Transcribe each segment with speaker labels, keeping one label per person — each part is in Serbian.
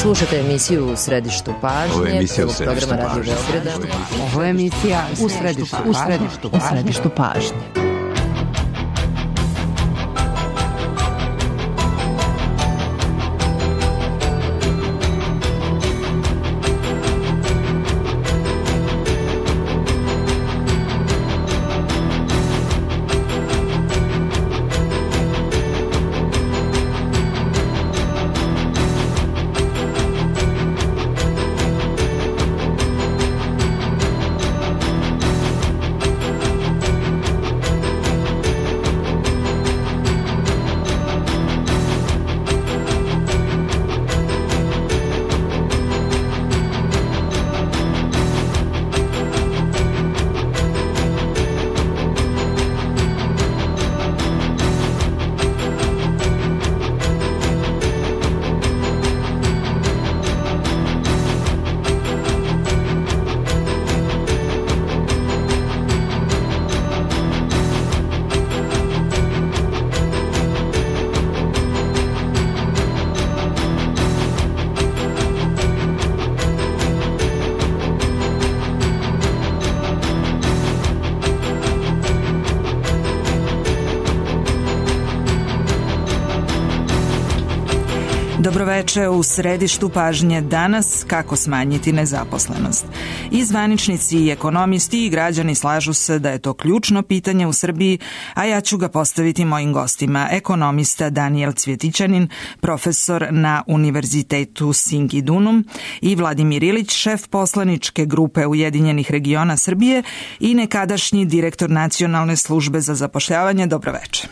Speaker 1: Slušate emisiju U središtu pažnje, prvog programa Radio Beograda.
Speaker 2: Ovo je emisija U središtu pažnje.
Speaker 3: Dobroveče, u središtu pažnje danas kako smanjiti nezaposlenost. I zvaničnici i ekonomisti i građani slažu se da je to ključno pitanje u Srbiji, a ja ću ga postaviti mojim gostima. Ekonomista Danijel Cvjetićanin, profesor na Univerzitetu Singidunum, i Vladimir Ilić, šef poslaničke grupe Ujedinjenih regiona Srbije i nekadašnji direktor Nacionalne službe za zapošljavanje. Dobroveče.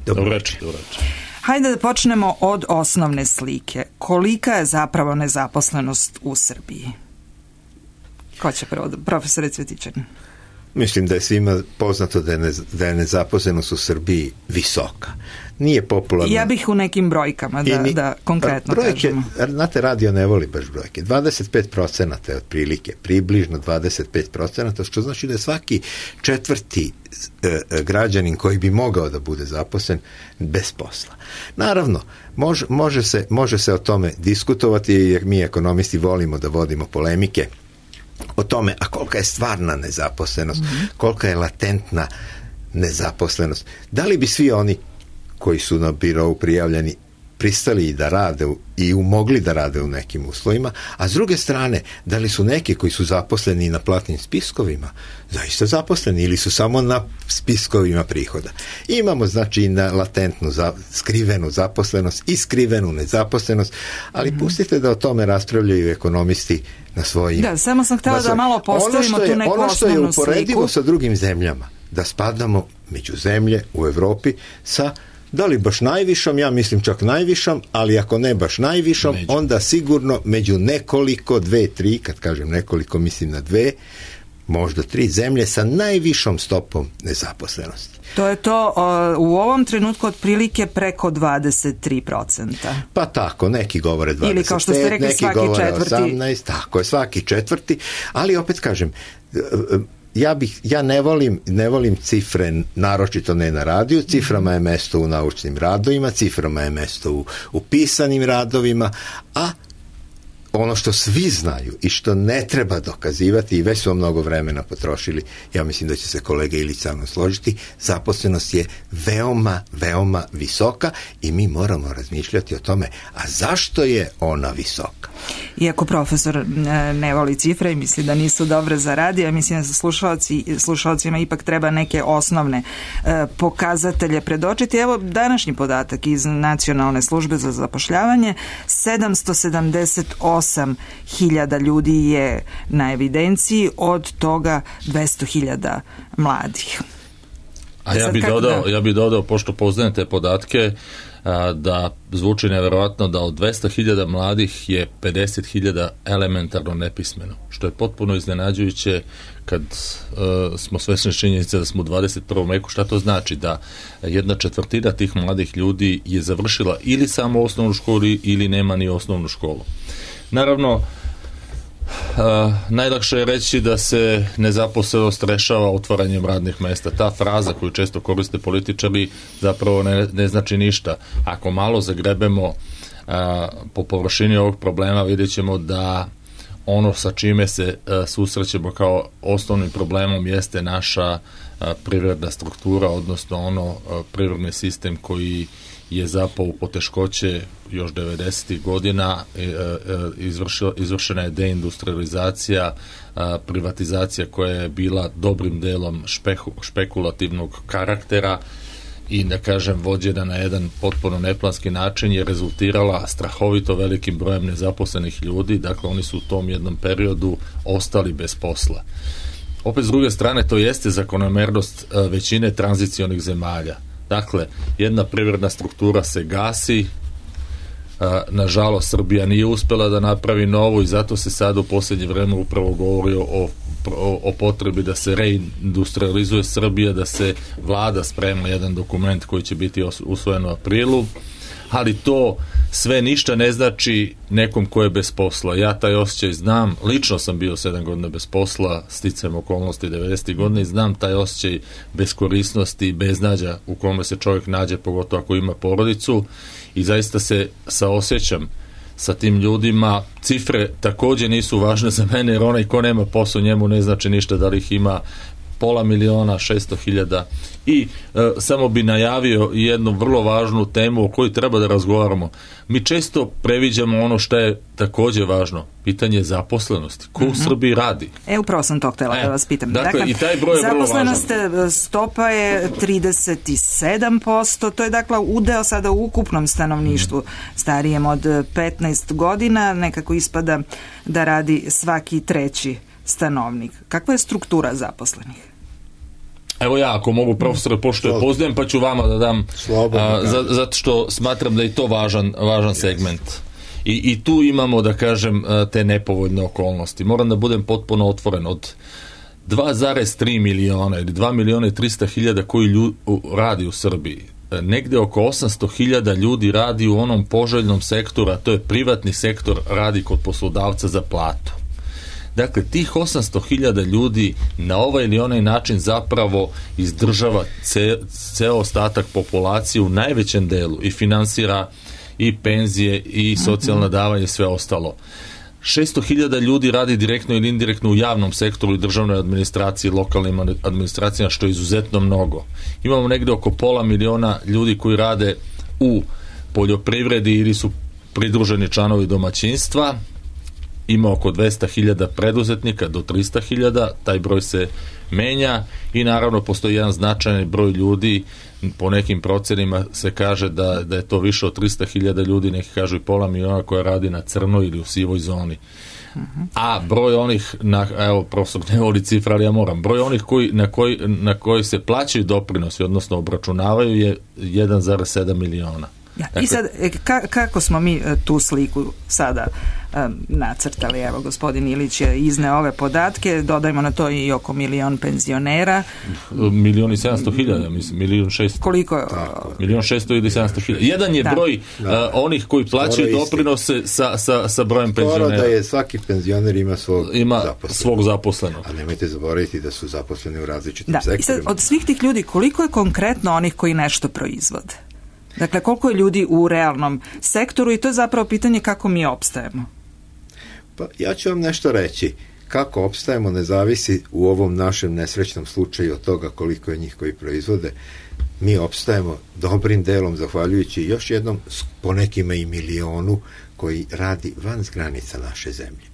Speaker 4: Dobroveče.
Speaker 3: Hajde da počnemo od osnovne slike. Kolika je zapravo nezaposlenost u Srbiji? Ko će prvo? Profesore Cvjetićanin.
Speaker 4: Mislim da je svima poznato da je nezaposlenost u Srbiji visoka. Nije popularno.
Speaker 3: Ja bih u nekim brojkama da konkretno kažemo.
Speaker 4: Znate, radio ne voli baš brojke. 25% je otprilike, približno 25%, što znači da je svaki četvrti građanin koji bi mogao da bude zaposlen bez posla. Naravno, može se o tome diskutovati, jer mi ekonomisti volimo da vodimo polemike o tome, a kolika je stvarna nezaposlenost, kolika je latentna nezaposlenost. Da li bi svi oni koji su na birou prijavljeni pristali i da rade i mogli da rade u nekim uslovima, a s druge strane, da li su neki koji su zaposleni na platnim spiskovima zaista zaposleni ili su samo na spiskovima prihoda. Imamo znači na latentnu, skrivenu zaposlenost i skrivenu nezaposlenost, ali pustite da o tome raspravljaju ekonomisti na svojim...
Speaker 3: Da, samo sam htjela da malo postavimo tu neku osnovnu sliku.
Speaker 4: Ono što je uporedivo sa drugim zemljama, da spadamo među zemlje u Evropi sa, da li baš najvišom, ja mislim čak najvišom, ali ako ne baš najvišom, onda sigurno među nekoliko, 2, 3, kad kažem nekoliko, mislim na 2, možda 3 zemlje sa najvišom stopom nezaposlenosti.
Speaker 3: To je to u ovom trenutku otprilike preko 23%.
Speaker 4: Pa tako, neki govore 25,
Speaker 3: ili kao što ste rekli,
Speaker 4: neki govore 18, tako je, svaki četvrti, ali opet kažem, ja ne volim cifre, naročito ne na radiju. Ciframa je mesto u naučnim radovima, ciframa je mesto u pisanim radovima, a ono što svi znaju i što ne treba dokazivati, i već smo mnogo vremena potrošili, ja mislim da će se kolega Ilić sa mnom složiti, zaposlenost je veoma, veoma visoka i mi moramo razmišljati o tome, a zašto je ona visoka?
Speaker 3: Iako profesor ne voli cifre i misli da nisu dobre za radio, ja mislim da se slušalcima ipak treba neke osnovne pokazatelje predočiti. Evo današnji podatak iz Nacionalne službe za zapošljavanje, 778.000 ljudi je na evidenciji, od toga 200.000 mladih.
Speaker 5: A ja bih dodao, pošto poznajem te podatke, da zvuči nevjerojatno da od 200.000 mladih je 50.000 elementarno nepismeno, što je potpuno iznenađujuće kad smo svesni činjenice da smo u 21. veku. Šta to znači? Da 1/4 tih mladih ljudi je završila ili samo osnovnu školu ili nema ni osnovnu školu. Naravno, najlakše je reći da se nezaposlenost rešava otvaranjem radnih mesta. Ta fraza koju često koriste političari zapravo ne znači ništa. Ako malo zagrebemo po površini ovog problema vidjet ćemo da ono sa čime se susrećemo kao osnovnim problemom jeste naša privredna struktura, odnosno privredni sistem koji je zapao u poteškoće još 90. godina, izvršena je deindustrializacija, privatizacija koja je bila dobrim delom špekulativnog karaktera i, da kažem, vođena na jedan potpuno neplanski način, je rezultirala strahovito velikim brojem nezaposlenih ljudi. Dakle, oni su u tom jednom periodu ostali bez posla. Opet, s druge strane, to jeste zakonomernost većine tranzicionih zemalja. Dakle, jedna privredna struktura se gasi, nažalost Srbija nije uspela da napravi novu i zato se sad u posljednje vreme upravo govori o potrebi da se reindustrializuje Srbija, da se vlada sprema jedan dokument koji će biti usvojen u aprilu, ali to sve ništa ne znači nekom ko je bez posla. Ja taj osjećaj znam, lično sam bio 7 godina bez posla, sticajem okolnosti 90. godine i znam taj osjećaj beskorisnosti i beznađa u kome se čovjek nađe, pogotovo ako ima porodicu, i zaista se saosjećam sa tim ljudima. Cifre također nisu važne za mene, jer onaj ko nema posao, njemu ne znači ništa da li ih ima 500.000, 600.000. I samo bi najavio jednu vrlo važnu temu o kojoj treba da razgovaramo. Mi često previđamo ono što je također važno, pitanje zaposlenosti. Ko u Srbiji radi?
Speaker 3: Upravo sam to htjela da vas pitam.
Speaker 5: Dakle, i taj broj je vrlo važan.
Speaker 3: Zaposlenost stopa je 37%, to je dakle udeo sada u ukupnom stanovništvu starijem od 15 godina, nekako ispada da radi svaki treći stanovnik. Kakva je struktura zaposlenih?
Speaker 5: Evo ja, ako mogu, profesore, pošto je poznajem, pa ću vama da dam, zato što smatram da je to važan segment. I tu imamo, da kažem, te nepovoljne okolnosti. Moram da budem potpuno otvoren. Od 2,3 miliona ili 2.300.000 koji radi u Srbiji, negde oko 800.000 ljudi radi u onom poželjnom sektoru, a to je privatni sektor, radi kod poslodavca za platu. Dakle, tih 800.000 ljudi na ovaj ili onaj način zapravo izdržava ceo ostatak populacije u najvećem delu i finansira i penzije i socijalna davanja i sve ostalo. 600.000 ljudi radi direktno ili indirektno u javnom sektoru i državnoj administraciji, lokalnim administracijama, što je izuzetno mnogo. Imamo negde oko 500.000 ljudi koji rade u poljoprivredi ili su pridruženi članovi domaćinstva. Ima oko 200.000 preduzetnika do 300.000, taj broj se menja i naravno postoji jedan značajan broj ljudi, po nekim procenima se kaže da je to više od 300.000 ljudi, neki kažu i 500.000 koja radi na crnoj ili u sivoj zoni. A broj onih, evo profesor ne voli cifra, ali ja moram, broj onih na koji se plaćaju doprinosi, odnosno obračunavaju, je 1,7 miliona.
Speaker 3: I sad, kako smo mi tu sliku sada nacrtali? Evo, gospodin Ilić je izneo ove podatke, dodajmo na to i oko 1 milion penzionera.
Speaker 5: 1.700.000, mislim, 1.600.000.
Speaker 3: Koliko je?
Speaker 5: 1.600.000 ili 700.000. Jedan je broj onih koji plaćaju doprinose sa brojem penzionera.
Speaker 4: Skoro da je svaki penzioner ima
Speaker 5: svog zaposlenog.
Speaker 4: A nemojte zaboraviti da su zaposleni u različitim sektorima.
Speaker 3: I sad, od svih tih ljudi, koliko je konkretno onih koji nešto proizvode? Dakle, koliko je ljudi u realnom sektoru, i to je zapravo pitanje kako mi opstajemo.
Speaker 4: Pa ja ću vam nešto reći. Kako opstajemo ne zavisi u ovom našem nesrećnom slučaju od toga koliko je njih koji proizvode. Mi opstajemo dobrim delom zahvaljujući još jednom po nekima i milionu koji radi van granica naše zemlje,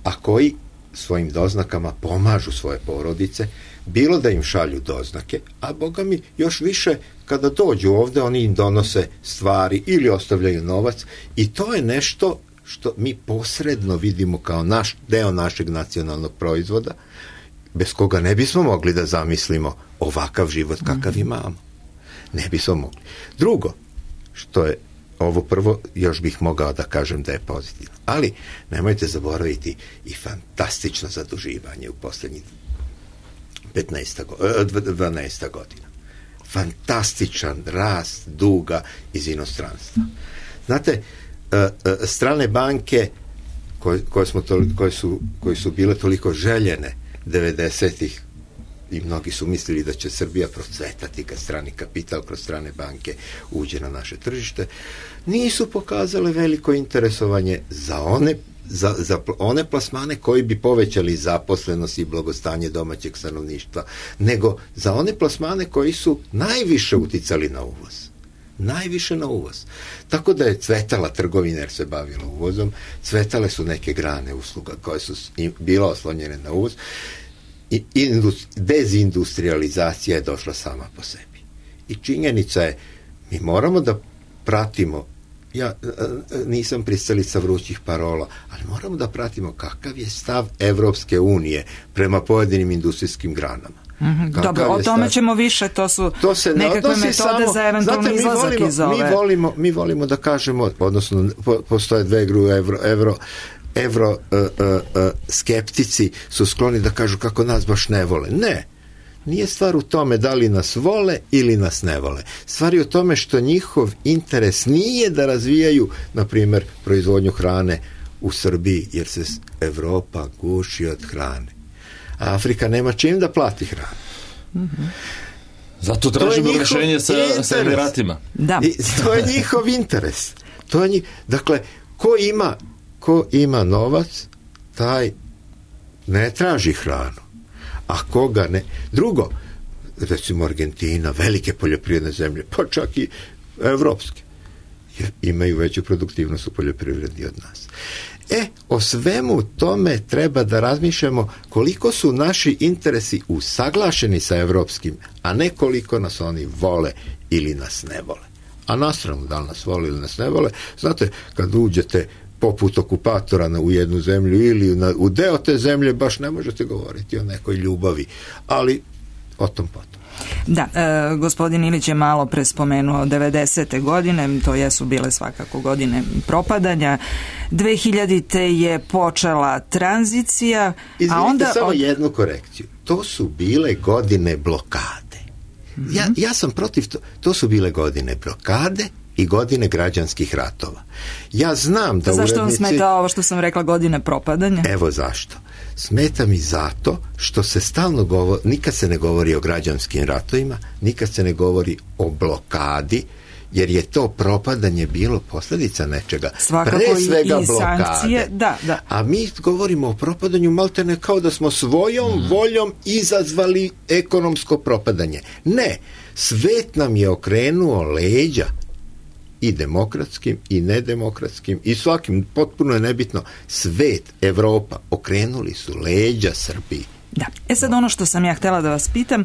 Speaker 4: a koji svojim doznakama pomažu svoje porodice, bilo da im šalju doznake, a boga mi još više kada dođu ovde oni im donose stvari ili ostavljaju novac, i to je nešto što mi posredno vidimo kao deo našeg nacionalnog proizvoda, bez koga ne bismo mogli da zamislimo ovakav život kakav imamo. Ne bismo mogli. Drugo, što je ovo prvo, još bih mogao da kažem da je pozitivno. Ali nemojte zaboraviti i fantastično zaduživanje u posljednjih 12 godina. Fantastičan rast duga iz inostranstva. Znate, strane banke koje su bile toliko željene 90-ih i mnogi su mislili da će Srbija procvetati kad strani kapital kroz strane banke uđe na naše tržište, nisu pokazale veliko interesovanje za one plasmane koji bi povećali zaposlenost i blagostanje domaćeg stanovništva, nego za one plasmane koji su najviše uticali na uvoz. Najviše na uvoz. Tako da je cvetala trgovina jer se bavila uvozom, cvetale su neke grane usluga koje su bila oslonjene na uvoz i dezindustrializacija je došla sama po sebi. I činjenica je, mi moramo da pratimo, ja nisam pristalica vrućih parola, ali moramo da pratimo kakav je stav Evropske unije prema pojedinim industrijskim granama.
Speaker 3: Dobro, o tome ćemo više, to su nekakve metode za eventualni izlazak iz ove.
Speaker 4: Mi volimo da kažemo, odnosno postoje dve grupe evro skeptici su skloni da kažu kako nas baš ne vole. Ne, nije stvar u tome da li nas vole ili nas ne vole. Stvar je u tome što njihov interes nije da razvijaju, na primjer, proizvodnju hrane u Srbiji, jer se Evropa guši od hrane. A Afrika nema čim da plati hranu.
Speaker 3: Mm-hmm.
Speaker 5: Zato tražimo rješenje sa Emiratima.
Speaker 3: Da.
Speaker 4: To je njihov interes. Dakle, ko ima novac, taj ne traži hranu. A koga ne... Drugo, recimo Argentina, velike poljoprivredne zemlje, pa čak i evropske, imaju veću produktivnost u poljoprivredi od nas. O svemu tome treba da razmišljamo koliko su naši interesi usaglašeni sa evropskim, a ne koliko nas oni vole ili nas ne vole. A na stranu, da li nas vole ili nas ne vole, znate, kad uđete poput okupatora u jednu zemlju ili u deo te zemlje, baš ne možete govoriti o nekoj ljubavi, ali o tom potom.
Speaker 3: Da, gospodin Ilić je malo pre spomenuo 90. godine, to jesu bile svakako godine propadanja. 2000. je počela tranzicija,
Speaker 4: a
Speaker 3: onda...
Speaker 4: samo jednu korekciju. To su bile godine blokade. Ja sam protiv to su bile godine blokade i godine građanskih ratova. Ja znam da
Speaker 3: zašto vam smeta ovo što sam rekla, godine propadanja?
Speaker 4: Evo zašto. Smeta mi zato što se stalno govori, nikad se ne govori o građanskim ratovima, nikad se ne govori o blokadi, jer je to propadanje bilo posljedica nečega.
Speaker 3: Svakako
Speaker 4: pre svega
Speaker 3: i
Speaker 4: blokade.
Speaker 3: Sankcije, da.
Speaker 4: A mi govorimo o propadanju maltene kao da smo svojom voljom izazvali ekonomsko propadanje. Ne, svet nam je okrenuo leđa i demokratskim i nedemokratskim i svakim, potpuno je nebitno, svet, Evropa, okrenuli su leđa Srbiji.
Speaker 3: Da. Sad ono što sam ja htjela da vas pitam,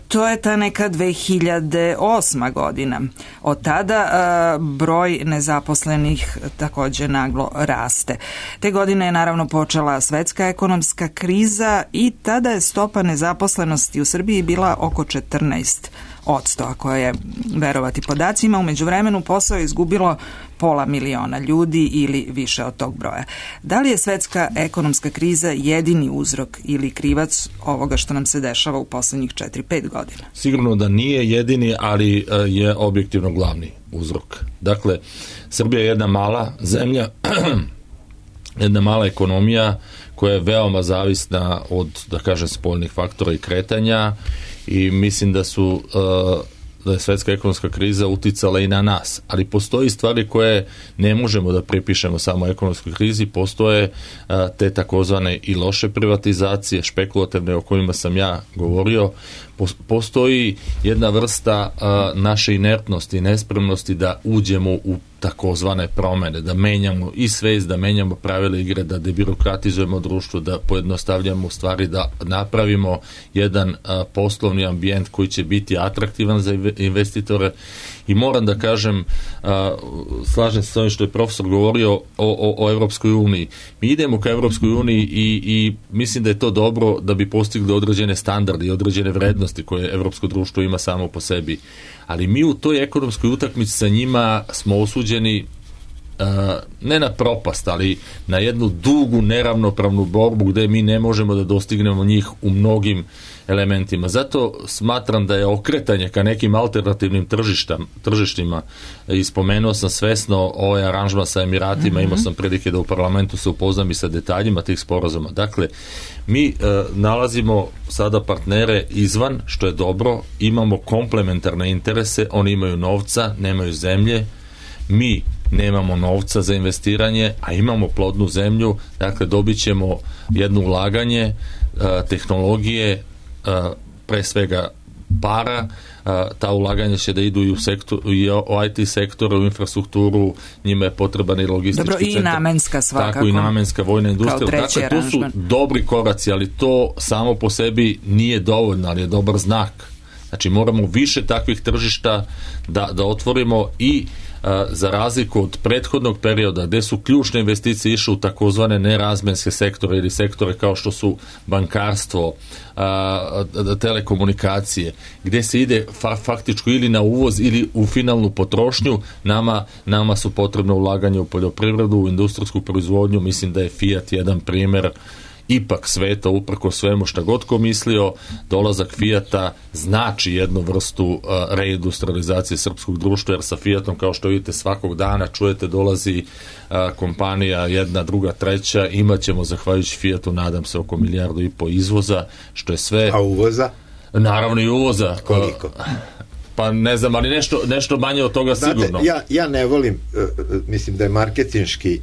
Speaker 3: to je ta neka 2008. godina. Od tada broj nezaposlenih također naglo raste. Te godine je naravno počela svetska ekonomska kriza i tada je stopa nezaposlenosti u Srbiji bila oko 14%, ako je verovati podacima. U međuvremenu posao je izgubilo 500.000 ljudi ili više od tog broja. Da li je svetska ekonomska kriza jedini uzrok ili krivac ovoga što nam se dešava u posljednjih 4-5 godina?
Speaker 5: Sigurno da nije jedini, ali je objektivno glavni uzrok. Dakle, Srbija je jedna mala zemlja, jedna mala ekonomija koja je veoma zavisna od, da kažem, spoljnih faktora i kretanja, i mislim da je svetska ekonomska kriza uticala i na nas, ali postoji stvari koje ne možemo da pripišemo samo ekonomskoj krizi. Postoje te takozvane i loše privatizacije, špekulativne, o kojima sam ja govorio. Postoji jedna vrsta naše inertnosti i nespremnosti da uđemo u takozvane promene, da menjamo i svest, da menjamo pravila igre, da debirokratizujemo društvo, da pojednostavljamo stvari, da napravimo jedan poslovni ambijent koji će biti atraktivan za investitore. I moram da kažem, slažem se s ovim što je profesor govorio o Evropskoj uniji. Mi idemo ka Evropskoj uniji i mislim da je to dobro da bi postigli određene standarde i određene vrednosti koje evropsko društvo ima samo po sebi. Ali mi u toj ekonomskoj utakmici sa njima smo osuđeni ne na propast, ali na jednu dugu neravnopravnu borbu gdje mi ne možemo da dostignemo njih u mnogim elementima. Zato smatram da je okretanje ka nekim alternativnim tržištima, i spomenuo sam svesno ovaj aranžman sa Emiratima, imao sam prilike da u parlamentu se upoznam i sa detaljima tih sporazuma. Dakle, mi nalazimo sada partnere izvan, što je dobro, imamo komplementarne interese, oni imaju novca, nemaju zemlje, mi nemamo novca za investiranje, a imamo plodnu zemlju, dakle dobit ćemo jedno ulaganje, tehnologije, pre svega para, ta ulaganja će da idu i u IT sektoru, u infrastrukturu, njima je potreban i logistički centar.
Speaker 3: Dobro, i namenska svakako.
Speaker 5: Tako, i namenska vojna industrija. Dakle, to su dobri koraci, ali to samo po sebi nije dovoljno, ali je dobar znak. Znači, moramo više takvih tržišta da otvorimo i za razliku od prethodnog perioda gdje su ključne investicije išle u takozvane nerazmenske sektore ili sektore kao što su bankarstvo, telekomunikacije, gdje se ide faktički ili na uvoz ili u finalnu potrošnju, nama su potrebne ulaganje u poljoprivredu, u industrijsku proizvodnju. Mislim da je Fiat jedan primjer ipak sveta, uprko svemu šta god ko mislio, dolazak Fiata znači jednu vrstu reindustrializacije srpskog društva, jer sa Fiatom, kao što vidite, svakog dana čujete dolazi kompanija, jedna, druga, treća, imat ćemo zahvaljujući Fiatu, nadam se, oko 1,5 milijardu izvoza, što je sve.
Speaker 4: A uvoza?
Speaker 5: Naravno i uvoza.
Speaker 4: Koliko?
Speaker 5: Pa ne znam, ali nešto manje od toga. Znate, sigurno.
Speaker 4: Ja ne volim, mislim da je marketinški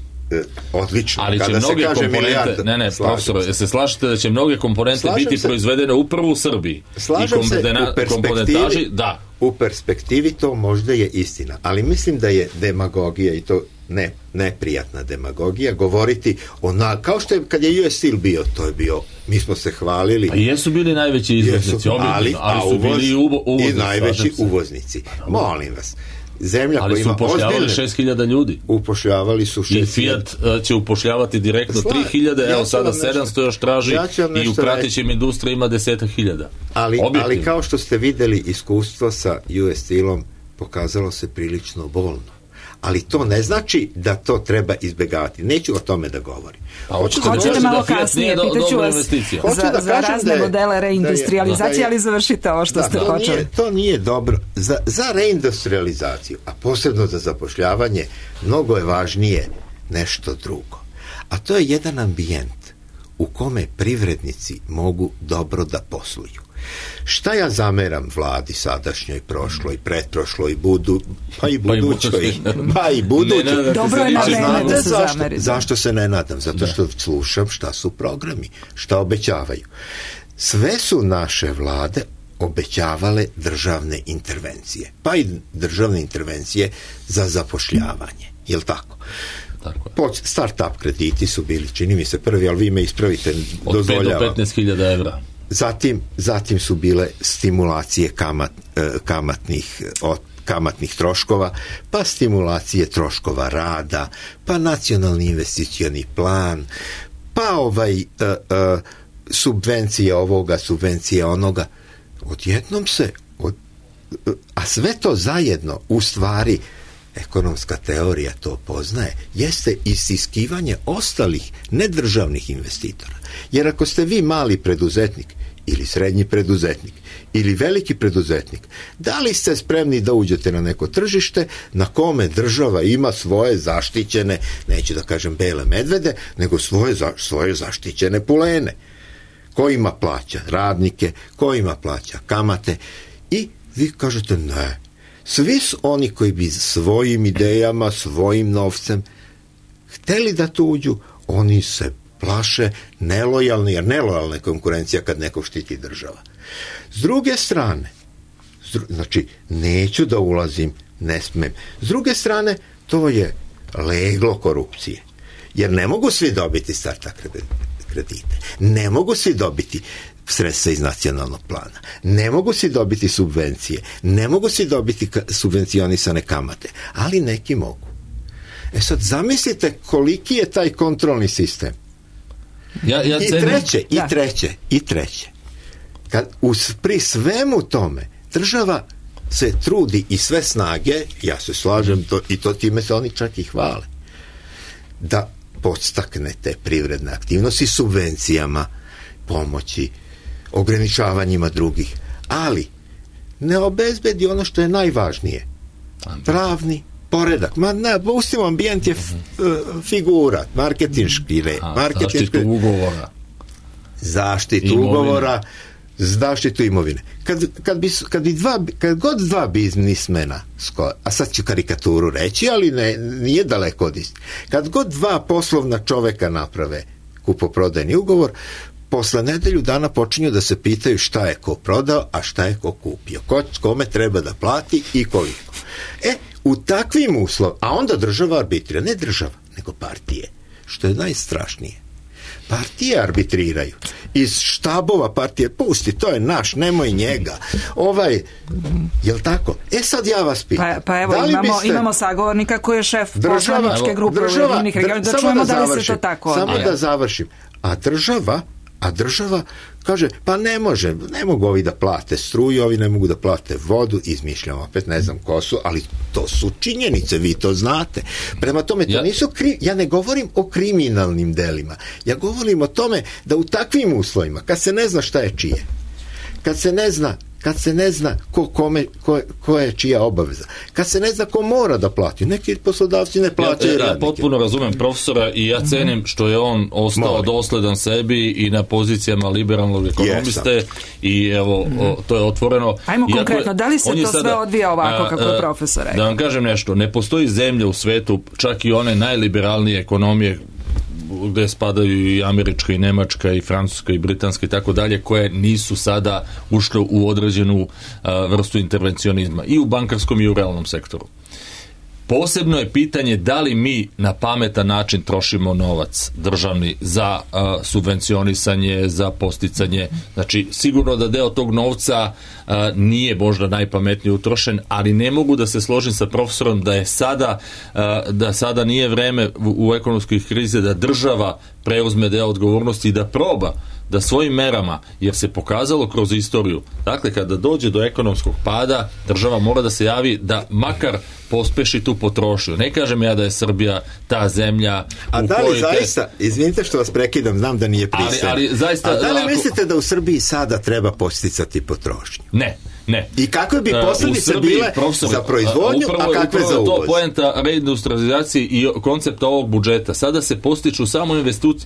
Speaker 4: odlično.
Speaker 5: Ali će mnoge komponente, profesor, se slažete da će mnoge komponente biti proizvedene upravo u Srbiji?
Speaker 4: Slažem se, u perspektivi to možda je istina, ali mislim da je demagogija, i to neprijatna demagogija, govoriti kao što je kad je US Steel bio, to je bio, mi smo se hvalili.
Speaker 5: Pa jesu bili najveći izvoznici, ali su bili i uvoznici.
Speaker 4: I najveći uvoznici. Molim vas. Zemlja
Speaker 5: ali su upošljavali 6.000 ljudi.
Speaker 4: Upošljavali su 6.000.
Speaker 5: I Fiat će upošljavati direktno 3.000, evo sada 700 još traži, i u pratećim industriji ima 10.000.
Speaker 4: Ali kao što ste vidjeli, iskustvo sa US Steelom pokazalo se prilično bolno. Ali to ne znači da to treba izbjegavati. Neću o tome da govorim.
Speaker 3: Hoćete malo kasnije, pitaću vas za razne modele reindustrializacije, ali završite ovo što ste počeli.
Speaker 4: To nije dobro. Za reindustrializaciju, a posebno za zapošljavanje, mnogo je važnije nešto drugo. A to je jedan ambijent u kome privrednici mogu dobro da posluju. Šta ja zameram vladi sadašnjoj, prošloj, pretprošloj, pa i budućoj.
Speaker 3: Dobro je na vreme da se zameri.
Speaker 4: Zašto se ne nadam? Zato što slušam šta su programi, šta obećavaju. Sve su naše vlade obećavale državne intervencije, pa i državne intervencije za zapošljavanje. Jel' tako? Start-up krediti su bili, čini mi se, prvi, ali vi me ispravite, dozvoljavam.
Speaker 5: Od 5 do 15.000 evra.
Speaker 4: Zatim su bile stimulacije kamatnih troškova, pa stimulacije troškova rada, pa nacionalni investicioni plan, pa subvencije ovoga, subvencije onoga. Odjednom a sve to zajedno, u stvari, ekonomska teorija to poznaje, jeste isiskivanje ostalih nedržavnih investitora. Jer ako ste vi mali preduzetnik ili srednji preduzetnik ili veliki preduzetnik, da li ste spremni da uđete na neko tržište na kome država ima svoje zaštićene, neću da kažem bele medvede, nego svoje zaštićene pulene? Ko ima plaća radnike, ko ima plaća kamate, i vi kažete ne. Svi su oni koji bi svojim idejama, svojim novcem hteli da tu uđu, oni se plaše nelojalni, jer nelojalna je konkurencija kad neko štiti država. S druge strane, znači neću da ulazim, ne smem. S druge strane, to je leglo korupcije. Jer ne mogu svi dobiti starta kredite. Ne mogu svi dobiti sredstva iz nacionalnog plana. Ne mogu svi dobiti subvencije. Ne mogu svi dobiti subvencionisane kamate. Ali neki mogu. Sad zamislite koliki je taj kontrolni sistem. I treće. Pri svemu tome država se trudi i sve snage, ja se slažem, time se oni čak i hvale, da podstakne te privredne aktivnosti subvencijama, pomoći, ograničavanjima drugih, ali ne obezbedi ono što je najvažnije, pravni poredak. Pustimo, ambijent je figura, marketinški
Speaker 5: zaštitu ugovora.
Speaker 4: Zaštitu ugovora, zaštitu imovine. Kad god dva biznismena, a sad ću karikaturu reći, ali nije daleko od istine. Kad god dva poslovna čoveka naprave kupoprodajni ugovor, posle nedelju dana počinju da se pitaju šta je ko prodao, a šta je ko kupio. Kome treba da plati i koliko. U takvim uslovima, a onda država arbitrira, ne država, nego partije, što je najstrašnije. Partije arbitriraju. Iz štabova partije, pusti, to je naš, nemoj njega. Jel tako? Sad ja vas pitam.
Speaker 3: Pa evo, imamo sagovornika koji je šef poslaničke grupe Ujedinjenih regiona, da čujemo da li se to tako odvija.
Speaker 4: Samo da završim. A država kaže, pa ne mogu ovi da plate struju, ovi ne mogu da plate vodu, izmišljam opet, ne znam ko su, ali to su činjenice, vi to znate. Prema tome, to nisu ja ne govorim o kriminalnim delima, ja govorim o tome da u takvim uslovima, kad se ne zna šta je čije, kad se ne zna ko je čija obaveza, kad se ne zna ko mora da plati, neki poslodavci ne plaćaju radnike.
Speaker 5: Ja potpuno razumem profesora i ja cenim što je on ostao dosledan sebi i na pozicijama liberalnog ekonomiste i evo, to je otvoreno.
Speaker 3: Ajmo konkretno, da li se to sve odvija ovako kako je profesor rekao?
Speaker 5: Da vam kažem nešto, ne postoji zemlja u svetu, čak i one najliberalnije ekonomije gde spadaju i američka i nemačka i francuska i britanska i tako dalje, koje nisu sada ušle u određenu vrstu intervencionizma i u bankarskom i u realnom sektoru. Posebno je pitanje da li mi na pametan način trošimo novac državni za subvencionisanje, za posticanje. Znači, sigurno da deo tog novca nije možda najpametnije utrošen, ali ne mogu da se složim sa profesorom da sada nije vreme u ekonomskoj krizi da država preuzme deo odgovornosti i da proba da svojim merama, jer se pokazalo kroz istoriju, dakle kada dođe do ekonomskog pada, država mora da se javi da makar pospeši tu potrošnju. Ne kažem ja da je Srbija ta zemlja
Speaker 4: a da li zaista, izvinite što vas prekidam, znam da nije pristojno, a da li mislite da u Srbiji sada treba posticati potrošnju?
Speaker 5: Ne.
Speaker 4: I kakve bi posljedice bile za proizvodnju, a kakve za uvoz?
Speaker 5: Upravo je to poenta reindustrializacije i koncepta ovog budžeta. Sada se postiču samo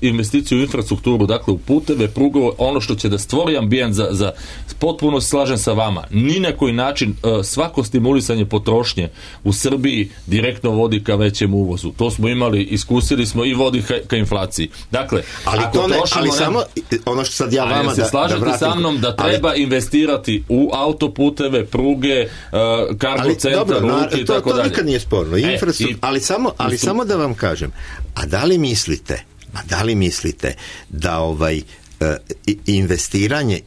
Speaker 5: investiciju u infrastrukturu, dakle u puteve, prugove, ono što će da stvori ambijent za potpuno se slažem sa vama. Ni na koji način svako stimulisanje potrošnje u Srbiji direktno vodi ka većem uvozu. To smo imali, iskusili smo i vodi ka inflaciji. Dakle,
Speaker 4: samo ono što sad ja vama da
Speaker 5: slažete sa mnom da treba investirati u autoputeve, pruge, kargo centra, luke i tako dalje.
Speaker 4: To nikad nije sporno. Ali samo da vam kažem, a da li mislite da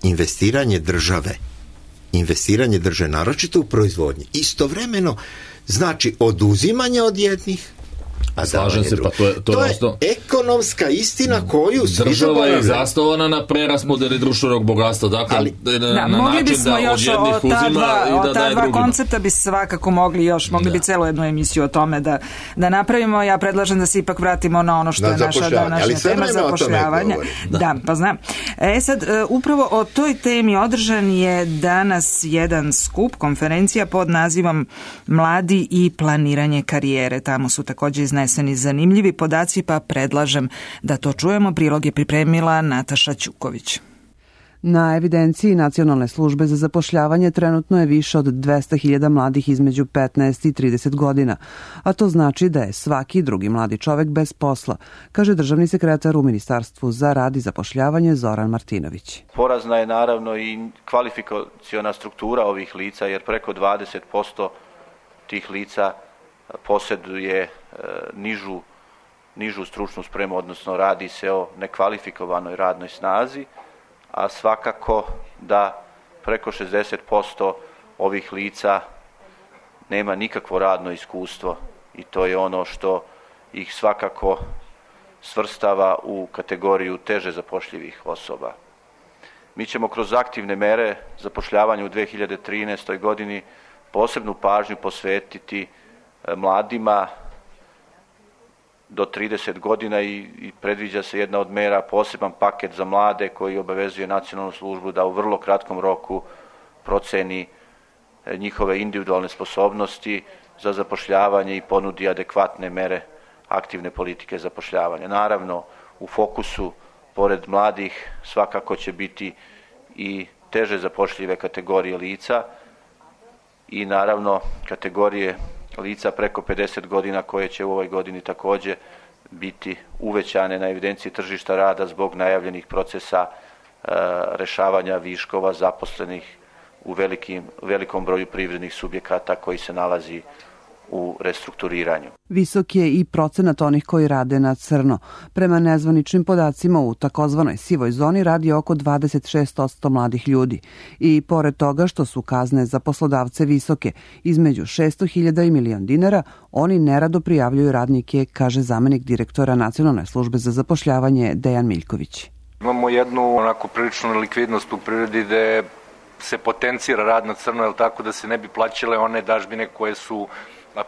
Speaker 4: investiranje države, naročito u proizvodnji, istovremeno znači oduzimanje od jednih, a
Speaker 5: slažem se, pa to je
Speaker 4: ekonomska istina koju svi
Speaker 5: država je zasnovana na preraspodeli društvenog bogatstva, dakle na način da od jednih uzima i da daje drugima.
Speaker 3: Koncepta bi svakako mogli bi celu jednu emisiju o tome da napravimo. Ja predlažem da se ipak vratimo na ono što je naša današnja tema, zapošljavanja. Da, pa znam. Sad, upravo o toj temi održan je danas jedan skup, konferencija pod nazivom Mladi i planiranje karijere. Tamo su također izneseni zanimljivi podaci, pa predlažem da to čujemo. Prilog je pripremila Nataša Ćuković.
Speaker 2: Na evidenciji Nacionalne službe za zapošljavanje trenutno je više od 200.000 mladih između 15 i 30 godina, a to znači da je svaki drugi mladi čovek bez posla, kaže državni sekretar u Ministarstvu za rad i zapošljavanje Zoran Martinović.
Speaker 6: Porazna je naravno i kvalifikaciona struktura ovih lica, jer preko 20% tih lica posjeduje nižu stručnu spremu, odnosno radi se o nekvalifikovanoj radnoj snazi, a svakako da preko 60% ovih lica nema nikakvo radno iskustvo i to je ono što ih svakako svrstava u kategoriju teže zapošljivih osoba. Mi ćemo kroz aktivne mere zapošljavanja u 2013. godini posebnu pažnju posvetiti mladima do 30 godina i predviđa se jedna od mera, poseban paket za mlade koji obavezuje nacionalnu službu da u vrlo kratkom roku proceni njihove individualne sposobnosti za zapošljavanje i ponudi adekvatne mere aktivne politike zapošljavanja. Naravno, u fokusu, pored mladih, svakako će biti i teže zapošljive kategorije lica i naravno kategorije lica preko 50 godina koje će u ovoj godini takođe biti uvećane na evidenciji tržišta rada zbog najavljenih procesa rešavanja viškova zaposlenih u velikom broju privrednih subjekata koji se nalazi u restrukturiranju.
Speaker 2: Visok je i procenat onih koji rade na crno. Prema nezvaničnim podacima u takozvanoj sivoj zoni radi oko 26% mladih ljudi. I pored toga što su kazne za poslodavce visoke, između 600.000 i $1.000.000, oni nerado prijavljuju radnike, kaže zamenik direktora Nacionalne službe za zapošljavanje Dejan Miljković.
Speaker 7: Imamo jednu onako priličnu likvidnost u prirodi gde se potencira rad na crno, jer tako da se ne bi plaćale one dažbine koje su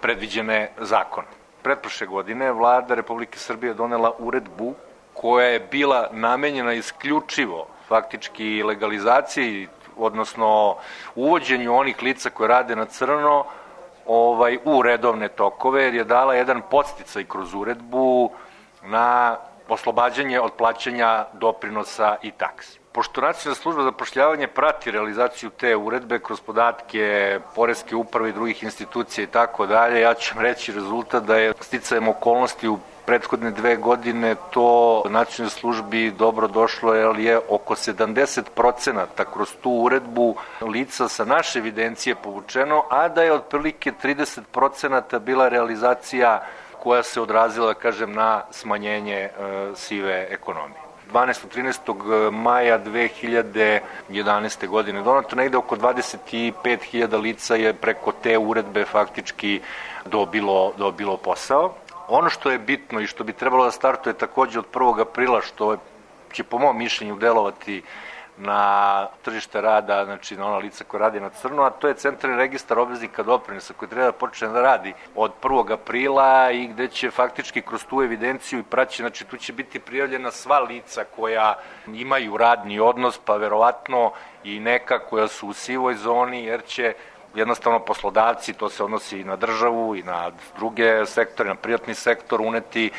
Speaker 7: predviđene zakon. Pretprošle godine vlada Republike Srbije donela uredbu koja je bila namenjena isključivo faktički legalizaciji, odnosno uvođenju onih lica koje rade na crno u redovne tokove, jer je dala jedan podsticaj kroz uredbu na oslobađanje od plaćanja doprinosa i taksi. Pošto Nacionalna služba za zapošljavanje prati realizaciju te uredbe kroz podatke Poreske uprave i drugih institucija i tako dalje, ja ću vam reći rezultat da je sticajem okolnosti u prethodne 2 godine to Nacionalnoj službi dobro došlo, jer je oko 70% kroz tu uredbu lica sa naše evidencije povučeno, a da je otprilike 30% bila realizacija koja se odrazila, da kažem, na smanjenje sive ekonomije. 12. 13. maja 2011. godine donato negde oko 25.000 lica je preko te uredbe faktički dobilo posao. Ono što je bitno i što bi trebalo da startuje takođe od 1. aprila, što će po mom mišljenju delovati na tržište rada, znači na ona lica koja radi na crno, a to je centralni registar obveznika doprinosa koji treba da počne da radi od 1. aprila i gde će faktički kroz tu evidenciju i praći, znači tu će biti prijavljena sva lica koja imaju radni odnos, pa verovatno i neka koja su u sivoj zoni, jer će jednostavno poslodavci, to se odnosi i na državu i na druge sektore, na privatni sektor uneti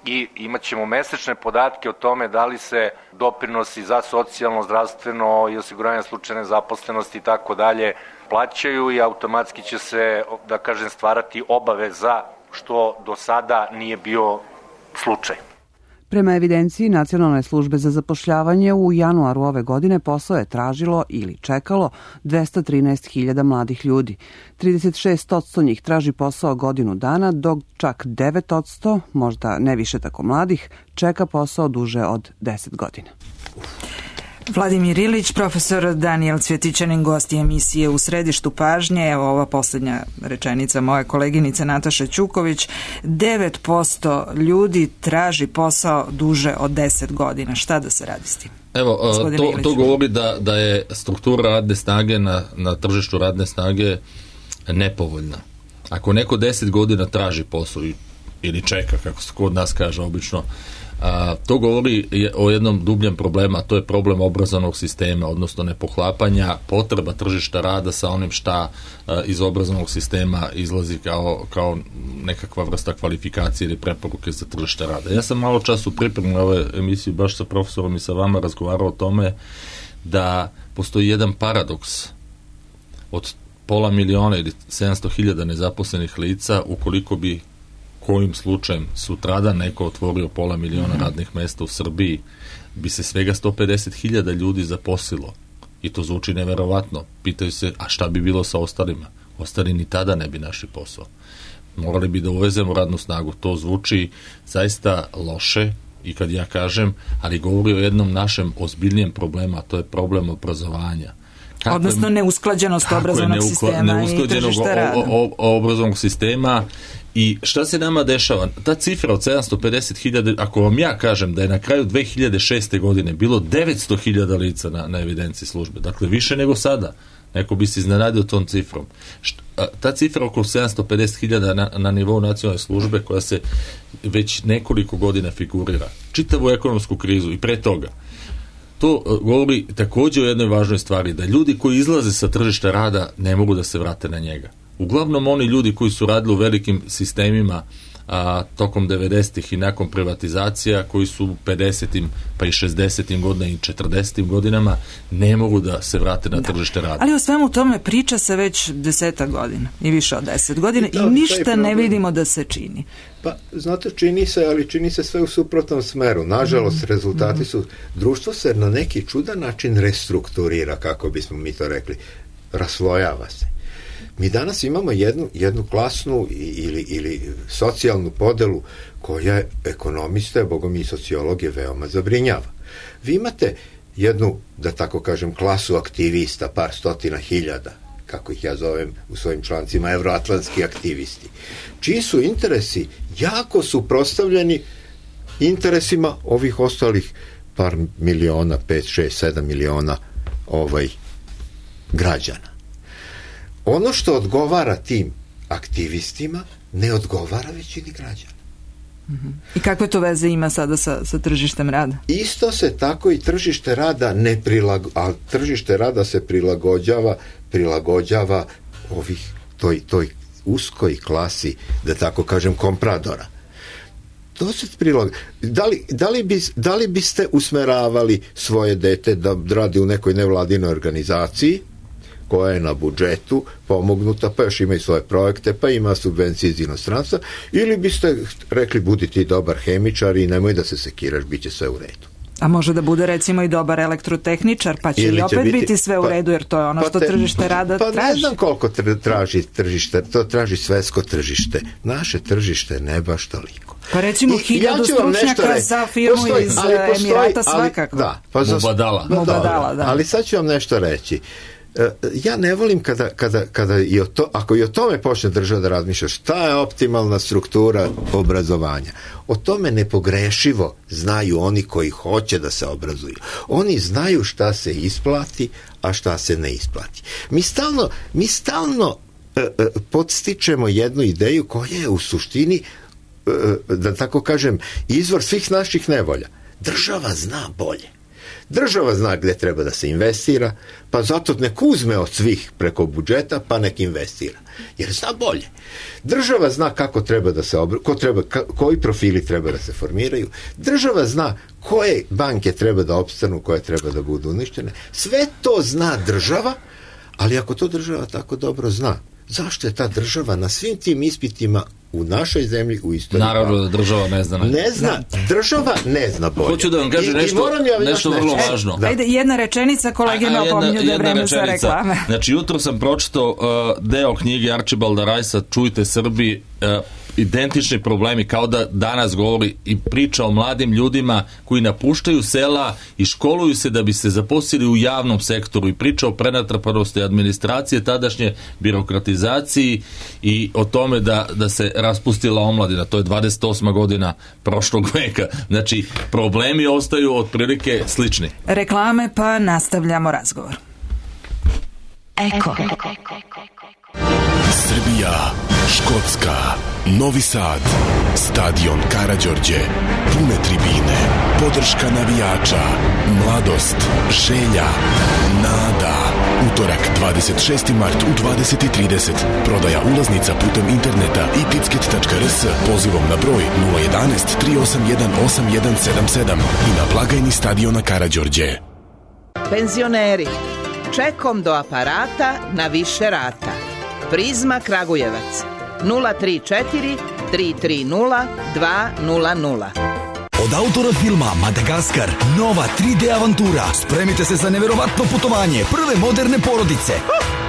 Speaker 7: i imat ćemo mesečne podatke o tome da li se doprinosi za socijalno, zdravstveno i osiguranje slučajne zaposlenosti i tako dalje plaćaju i automatski će se, da kažem, stvarati obaveza, što do sada nije bio slučaj.
Speaker 2: Prema evidenciji Nacionalne službe za zapošljavanje u januaru ove godine posao je tražilo ili čekalo 213.000 mladih ljudi. 36% njih traži posao godinu dana, dok čak 9%, možda ne više tako mladih, čeka posao duže od 10 godina.
Speaker 3: Vladimir Ilić, profesor Danijel Cvjetićanin, gost emisije U središtu pažnje. Evo ova poslednja rečenica moje koleginice Nataše Ćuković. 9% ljudi traži posao duže od 10 godina. Šta da se radi s tim?
Speaker 5: Evo, to govori da je struktura radne snage na tržištu radne snage nepovoljna. Ako neko 10 godina traži posao ili čeka, kako se kod nas kaže obično, to govori o jednom dubljem problemu, a to je problem obrazovnog sistema, odnosno nepoklapanja potreba tržišta rada sa onim šta iz obrazovnog sistema izlazi kao nekakva vrsta kvalifikacije ili preporuke za tržište rada. Ja sam malo čas u pripremu ove emisije baš sa profesorom i sa vama razgovarao o tome da postoji jedan paradoks od 500.000 ili 700.000 nezaposlenih lica, ukoliko bi kojim slučajem sutradan neko otvorio 500.000 radnih mesta u Srbiji, bi se svega 150.000 ljudi zaposlilo. I to zvuči neverovatno. Pitaju se, a šta bi bilo sa ostalima? Ostali ni tada ne bi našli posao. Morali bi da uvezemo radnu snagu. To zvuči zaista loše i kad ja kažem, ali govori o jednom našem ozbiljnijem problemu, a to je problem obrazovanja.
Speaker 3: Odnosno neusklađenost obrazovnog sistema i tržišta rada.
Speaker 5: Obrazovnog sistema. I šta se nama dešava? Ta cifra od 750.000, ako vam ja kažem da je na kraju 2006. godine bilo 900.000 lica na evidenciji službe, dakle više nego sada, Neko bi se iznenadio tom cifrom. Ta cifra oko 750.000 na nivou nacionalne službe koja se već nekoliko godina figurira. Čitavu ekonomsku krizu i pre toga. To govori također o jednoj važnoj stvari, da ljudi koji izlaze sa tržišta rada ne mogu da se vrate na njega. Uglavnom oni ljudi koji su radili u velikim sistemima tokom 90-ih i nakon privatizacija, koji su u 50-im pa i 60-im godinama i 40-im godinama ne mogu da se vrate na tržište rada.
Speaker 3: Ali o svemu tome priča se već 10 godina i više od 10 godina i ništa ne vidimo da se čini.
Speaker 4: Pa, znate, čini se, ali čini se sve u suprotnom smeru. Nažalost, rezultati su... Društvo se na neki čudan način restrukturira, kako bismo mi to rekli. Raslojava se. Mi danas imamo jednu klasnu ili socijalnu podelu koja ekonomiste, bogom i sociologe veoma zabrinjava. Vi imate jednu, da tako kažem, klasu aktivista, par stotina hiljada, kako ih ja zovem u svojim člancima, evroatlantski aktivisti, čiji su interesi jako suprotstavljeni interesima ovih ostalih par miliona, 5, 6, 7 miliona građana. Ono što odgovara tim aktivistima ne odgovara većini građana.
Speaker 3: I kakve to veze ima sada sa tržištem rada?
Speaker 4: Isto se tako i tržište rada a tržište rada se prilagođava toj uskoj klasi, da tako kažem, kompradora. To se da li biste usmeravali svoje dete da radi u nekoj nevladinoj organizaciji koja je na budžetu pomognuta, pa još ima i svoje projekte, pa ima subvencije iz inostranstva, ili biste rekli budi ti dobar hemičar i nemoj da se sekiraš, bit će sve u redu.
Speaker 3: A može da bude recimo i dobar elektrotehničar, pa će i opet biti sve u redu, jer to je ono što tržište rada traži.
Speaker 4: Pa ne znam koliko traži tržište, to traži svetsko tržište. Naše tržište ne baš toliko.
Speaker 3: Pa recimo 1000 stručnjaka za firmu iz Emirata svakako.
Speaker 4: Mubadala, da. Ali sad ću vam nešto reći. Ja ne volim kada ako i o tome počne država da razmišlja šta je optimalna struktura obrazovanja. O tome nepogrešivo znaju oni koji hoće da se obrazuju. Oni znaju šta se isplati, a šta se ne isplati. Mi stalno podstičemo jednu ideju koja je u suštini, da tako kažem, izvor svih naših nevolja. Država zna bolje. Država zna gde treba da se investira, pa zato nek uzme od svih preko budžeta, pa nek investira. Jer zna bolje. Država zna kako treba da se koji profili treba da se formiraju. Država zna koje banke treba da opstanu, koje treba da budu uništene. Sve to zna država, ali ako to država tako dobro zna, zašto je ta država na svim tim ispitima u našoj zemlji u istoriji?
Speaker 5: Naravno da država ne zna.
Speaker 4: Država ne zna bolje.
Speaker 5: Hoću da vam kažem nešto vrlo važno.
Speaker 3: Ajde, jedna rečenica, kolege me opominju da je vreme za reklame.
Speaker 5: Znači, jutro sam pročitao deo knjige Arčibalda Rajsa Čujte Srbi, identični problemi, kao da danas govori i priča o mladim ljudima koji napuštaju sela i školuju se da bi se zaposlili u javnom sektoru, i priča o prenatrpanosti administracije, tadašnje birokratizaciji i o tome da se raspustila omladina. To je 28. godina prošlog veka. Znači, problemi ostaju otprilike slični.
Speaker 3: Reklame, pa nastavljamo razgovor. Eko.
Speaker 8: Srbija, Škotska, Novi Sad, stadion Karađorđe, pune tribine, podrška navijača, mladost, želja, nada. Utorak 26. mart u 20:30. Prodaja ulaznica putem interneta i ticket.rs pozivom na broj 011 381 8177 i na blagajni stadiona Karađorđe.
Speaker 9: Penzioneri, čekom do aparata na više rata. Prizma Kragujevac 034 330 200.
Speaker 10: Od autora filma Madagaskar, nova 3D avantura. Spremite se za neverovatno putovanje prve moderne porodice.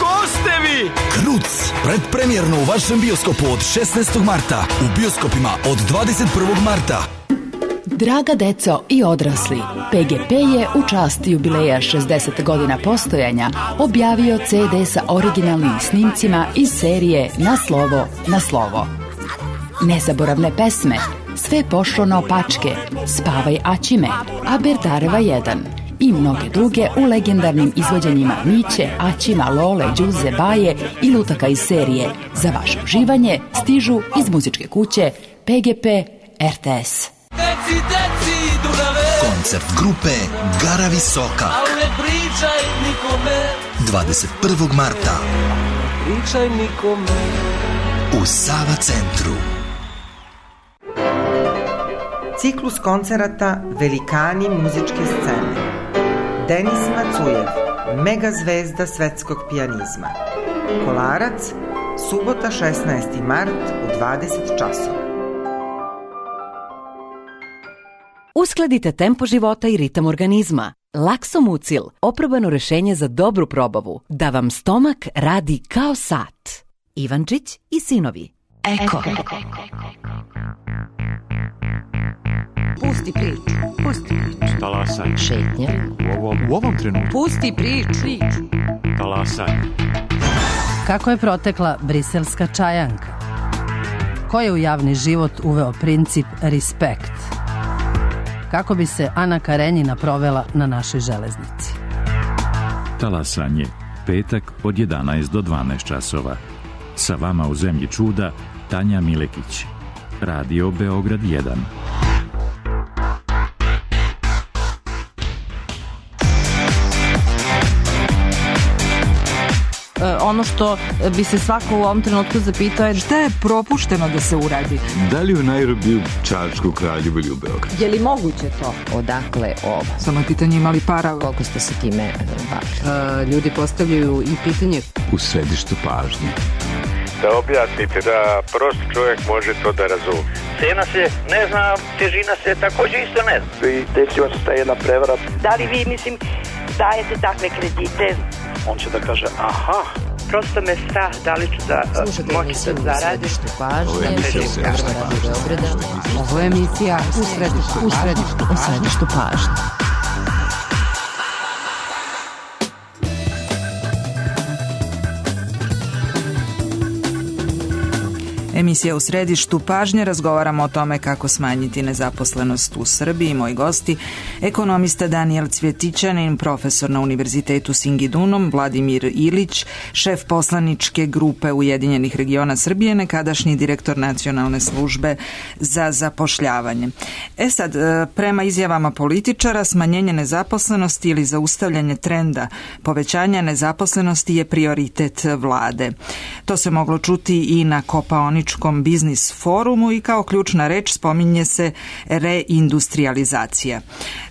Speaker 10: Ko ste vi? Kruc, predpremjerno u vašem bioskopu od 16. marta, u bioskopima od 21. marta.
Speaker 11: Draga deco i odrasli, PGP je u čast jubileja 60 godina postojanja objavio CD sa originalnim snimcima iz serije Na slovo, na slovo. Nezaboravne pesme, Sve pošlo naopačke, Spavaj Aćime, Aberdareva 1 i mnoge druge u legendarnim izvođenjima Miće, Aćima, Lole, Đuze, Baje i lutaka iz serije. Za vaše uživanje stižu iz muzičke kuće PGP RTS.
Speaker 10: Koncert grupe Gara Visoka 21. marta u Sava centru.
Speaker 12: Ciklus koncerata Velikani muzičke scene. Denis Macujev, mega zvezda svetskog pijanizma. Kolarac, subota 16. mart u 20 časova.
Speaker 13: Uskladite tempo života i ritam organizma. Laksomucil, oprobano rešenje za dobru probavu, da vam stomak radi kao sat. Ivančić i sinovi. Eko.
Speaker 14: Pusti priču. Pusti priču.
Speaker 15: Talasaj.
Speaker 13: Šetnja.
Speaker 15: U ovom trenutku.
Speaker 14: Pusti priču.
Speaker 15: Talasaj.
Speaker 16: Kako je protekla briselska čajanka? Ko je u javni život uveo princip respekt? Kako bi se Ana Karenjina provela na našoj železnici?
Speaker 17: Talasanje, petak od 11 do 12 časova. Sa vama u zemlji čuda Tanja Milekić. Radio Beograd 1.
Speaker 16: Ono što bi se svako u ovom trenutku zapitao je
Speaker 3: šta je propušteno da se uradi.
Speaker 18: Da li u Nairobiju, Čačku, Kraljevu ili u Beogradu?
Speaker 1: Je li moguće to? Odakle ovo?
Speaker 3: Samo je pitanje imali para.
Speaker 1: Koliko ste se time bavili? Ljudi postavljaju i pitanje
Speaker 18: u središtu pažnje.
Speaker 19: Da objasnite da prost čovjek može to da razume.
Speaker 20: Cena se ne zna, težina se također isto ne zna.
Speaker 21: I desila se ta jedna prevara.
Speaker 22: Da li vi, dajete takve kredite?
Speaker 21: On će da kaže, aha.
Speaker 22: Prosto me strah da li ću da moći da zaradim.
Speaker 1: Ovo je emisija u središtu pažnje.
Speaker 3: Emisija u središtu pažnje, razgovaramo o tome kako smanjiti nezaposlenost u Srbiji. Moji gosti, ekonomista Danijel Cvjetićanin, profesor na Univerzitetu Singidunom, Vladimir Ilić, šef poslaničke grupe Ujedinjenih regiona Srbije, nekadašnji direktor Nacionalne službe za zapošljavanje. Sad, prema izjavama političara, smanjenje nezaposlenosti ili zaustavljanje trenda povećanja nezaposlenosti je prioritet vlade. To se moglo čuti i na Kopaoničkom biznis forumu i kao ključna reč spominje se reindustrializacija.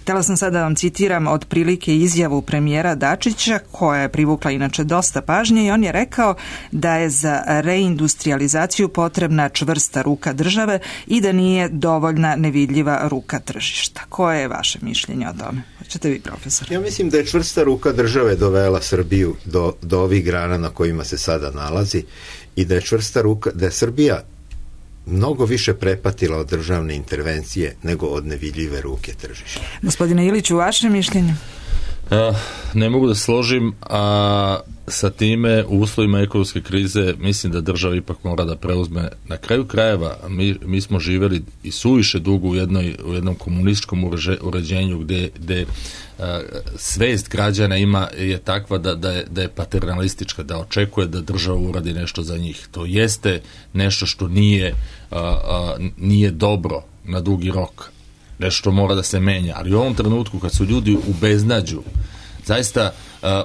Speaker 3: Htjela sam sada da vam citiram otprilike izjavu premijera Dačića, koja je privukla inače dosta pažnje, i on je rekao da je za reindustrializaciju potrebna čvrsta ruka države i da nije dovoljna nevidljiva ruka tržišta. Koje je vaše mišljenje o tome? Hoćete vi, profesor?
Speaker 4: Ja mislim da je čvrsta ruka države dovela Srbiju do ovih grana na kojima se sada nalazi i da je čvrsta ruka, da je Srbija mnogo više prepatila od državne intervencije nego od nevidljive ruke tržišta.
Speaker 3: Gospodine Iliću, vaše mišljenje?
Speaker 5: Ne mogu da složim, a sa time u uslovima ekonomske krize mislim da država ipak mora da preuzme. Na kraju krajeva mi smo živjeli i suviše dugo u jednom komunističkom uređenju gde svest građana je takva da je paternalistička, da očekuje da država uradi nešto za njih. To jeste nešto što nije dobro na dugi rok. Nešto mora da se menja, ali u ovom trenutku kad su ljudi u beznađu, zaista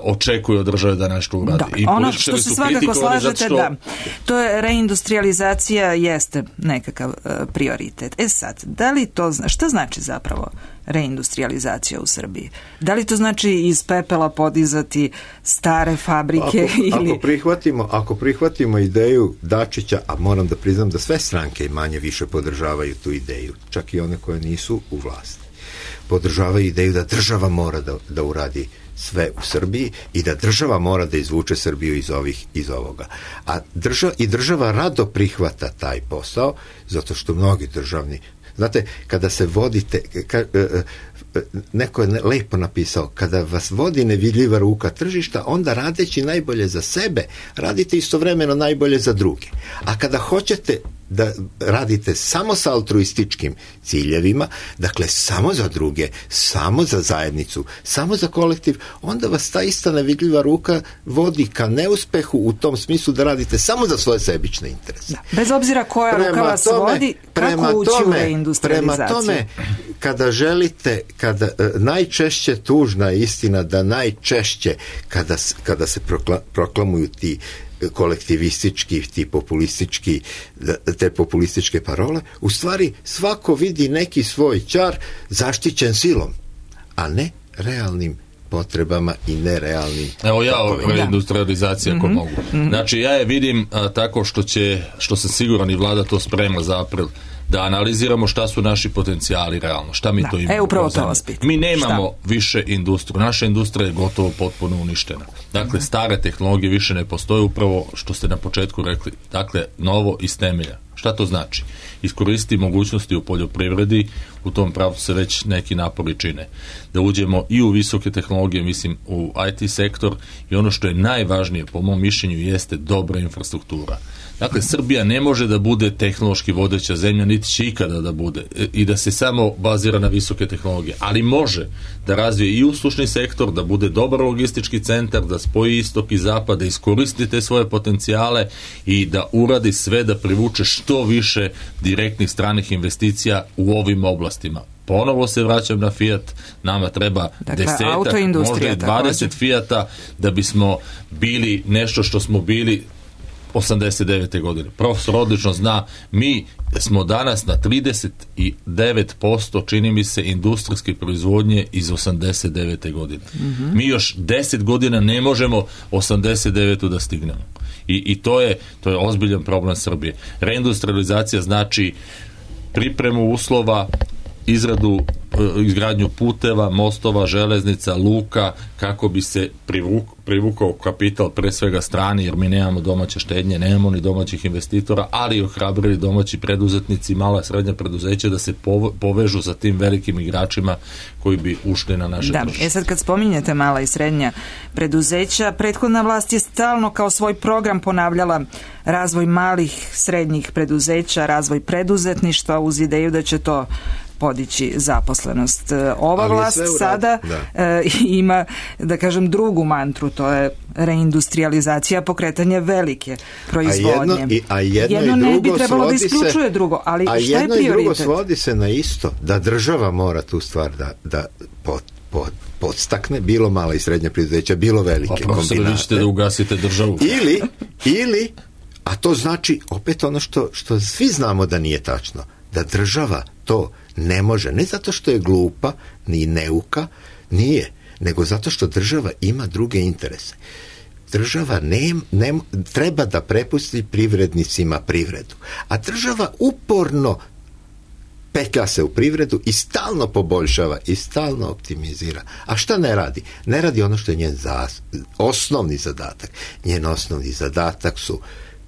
Speaker 5: očekuju od države da nešto uradi.
Speaker 3: Da, ono što se svakako slažete, da, to je reindustrializacija, jeste nekakav prioritet. Sad, da li to, šta znači zapravo reindustrializacija u Srbiji? Da li to znači iz pepela podizati stare fabrike?
Speaker 4: Ako prihvatimo ideju Dačića, a moram da priznam da sve stranke i manje više podržavaju tu ideju, čak i one koje nisu u vlasti, podržavaju ideju da država mora da uradi sve u Srbiji i da država mora da izvuče Srbiju iz ovoga. A država rado prihvata taj posao, zato što mnogi državni, znate, kada se vodite, neko je lepo napisao, kada vas vodi nevidljiva ruka tržišta, onda radeći najbolje za sebe, radite istovremeno najbolje za druge. A kada hoćete da radite samo sa altruističkim ciljevima, dakle samo za druge, samo za zajednicu, samo za kolektiv, onda vas ta ista nevidljiva ruka vodi ka neuspehu u tom smislu da radite samo za svoje sebične interese.
Speaker 3: Da. Bez obzira koja ruka vas vodi, kako ući u reindustrializaciju?
Speaker 4: Prema tome, kada želite, najčešće tužna je istina da najčešće kada se proklamuju ti kolektivistički, te populističke parole, u stvari svako vidi neki svoj čar zaštićen silom, a ne realnim potrebama i nerealnim.
Speaker 5: Evo ja o reindustrializaciji ako mogu. Znači ja je vidim tako što sam siguran i vlada to sprema za april, da analiziramo šta su naši potencijali realno, šta mi to imamo.
Speaker 3: Upravo to vas pitam.
Speaker 5: Mi nemamo više industriju. Naša industrija je gotovo potpuno uništena. Dakle, stare tehnologije više ne postoje, upravo što ste na početku rekli. Dakle, novo iz temelja. Šta to znači? Iskoristiti mogućnosti u poljoprivredi, u tom pravcu se već neki napori čine. Da uđemo i u visoke tehnologije, mislim u IT sektor, i ono što je najvažnije po mom mišljenju jeste dobra infrastruktura. Dakle, Srbija ne može da bude tehnološki vodeća zemlja, niti će ikada da bude i da se samo bazira na visoke tehnologije, ali može da razvije i uslužni sektor, da bude dobar logistički centar, da spoji istok i zapad, da iskoristi te svoje potencijale i da uradi sve da privuče što više direktnih stranih investicija u ovim oblastima. Ponovo se vraćam na Fiat, nama treba 10, možda i 20 Fiata da bismo bili nešto što smo bili 89. godine. Profesor odlično zna, mi smo danas na 39%, čini mi se, industrijske proizvodnje iz 89. godine. Mi još 10 godina ne možemo 89. da stignemo. I to je ozbiljan problem Srbije. Reindustrializacija znači pripremu uslova, izgradnju puteva, mostova, železnica, luka, kako bi se privukao kapital, pre svega strani, jer mi nemamo domaće štednje, nemamo ni domaćih investitora, ali i ohrabrili domaći preduzetnici, mala i srednja preduzeća da se povežu sa tim velikim igračima koji bi ušli na naše tržište.
Speaker 3: Sad kad spominjete mala i srednja preduzeća, prethodna vlast je stalno kao svoj program ponavljala razvoj malih, srednjih preduzeća, razvoj preduzetništva uz ideju da će to podići zaposlenost. Ova vlast sada ima, da kažem, drugu mantru, to je reindustrializacija, pokretanje velike proizvodnje. Jedno ne bi trebalo da isključuje drugo, ali šta je prioritet?
Speaker 4: A jedno i drugo svodi se na isto, da država mora tu stvar da podstakne, bilo mala i srednja preduzeća, bilo velike kombinate.
Speaker 5: Vi ćete da ugasite državu.
Speaker 4: Ili, a to znači opet ono što svi znamo da nije tačno, da država to ne može, ne zato što je glupa, ni neuka, nije, nego zato što država ima druge interese. Država treba da prepusti privrednicima privredu, a država uporno petlja se u privredu i stalno poboljšava i stalno optimizira. A šta ne radi? Ne radi ono što je njen osnovni zadatak. Njen osnovni zadatak su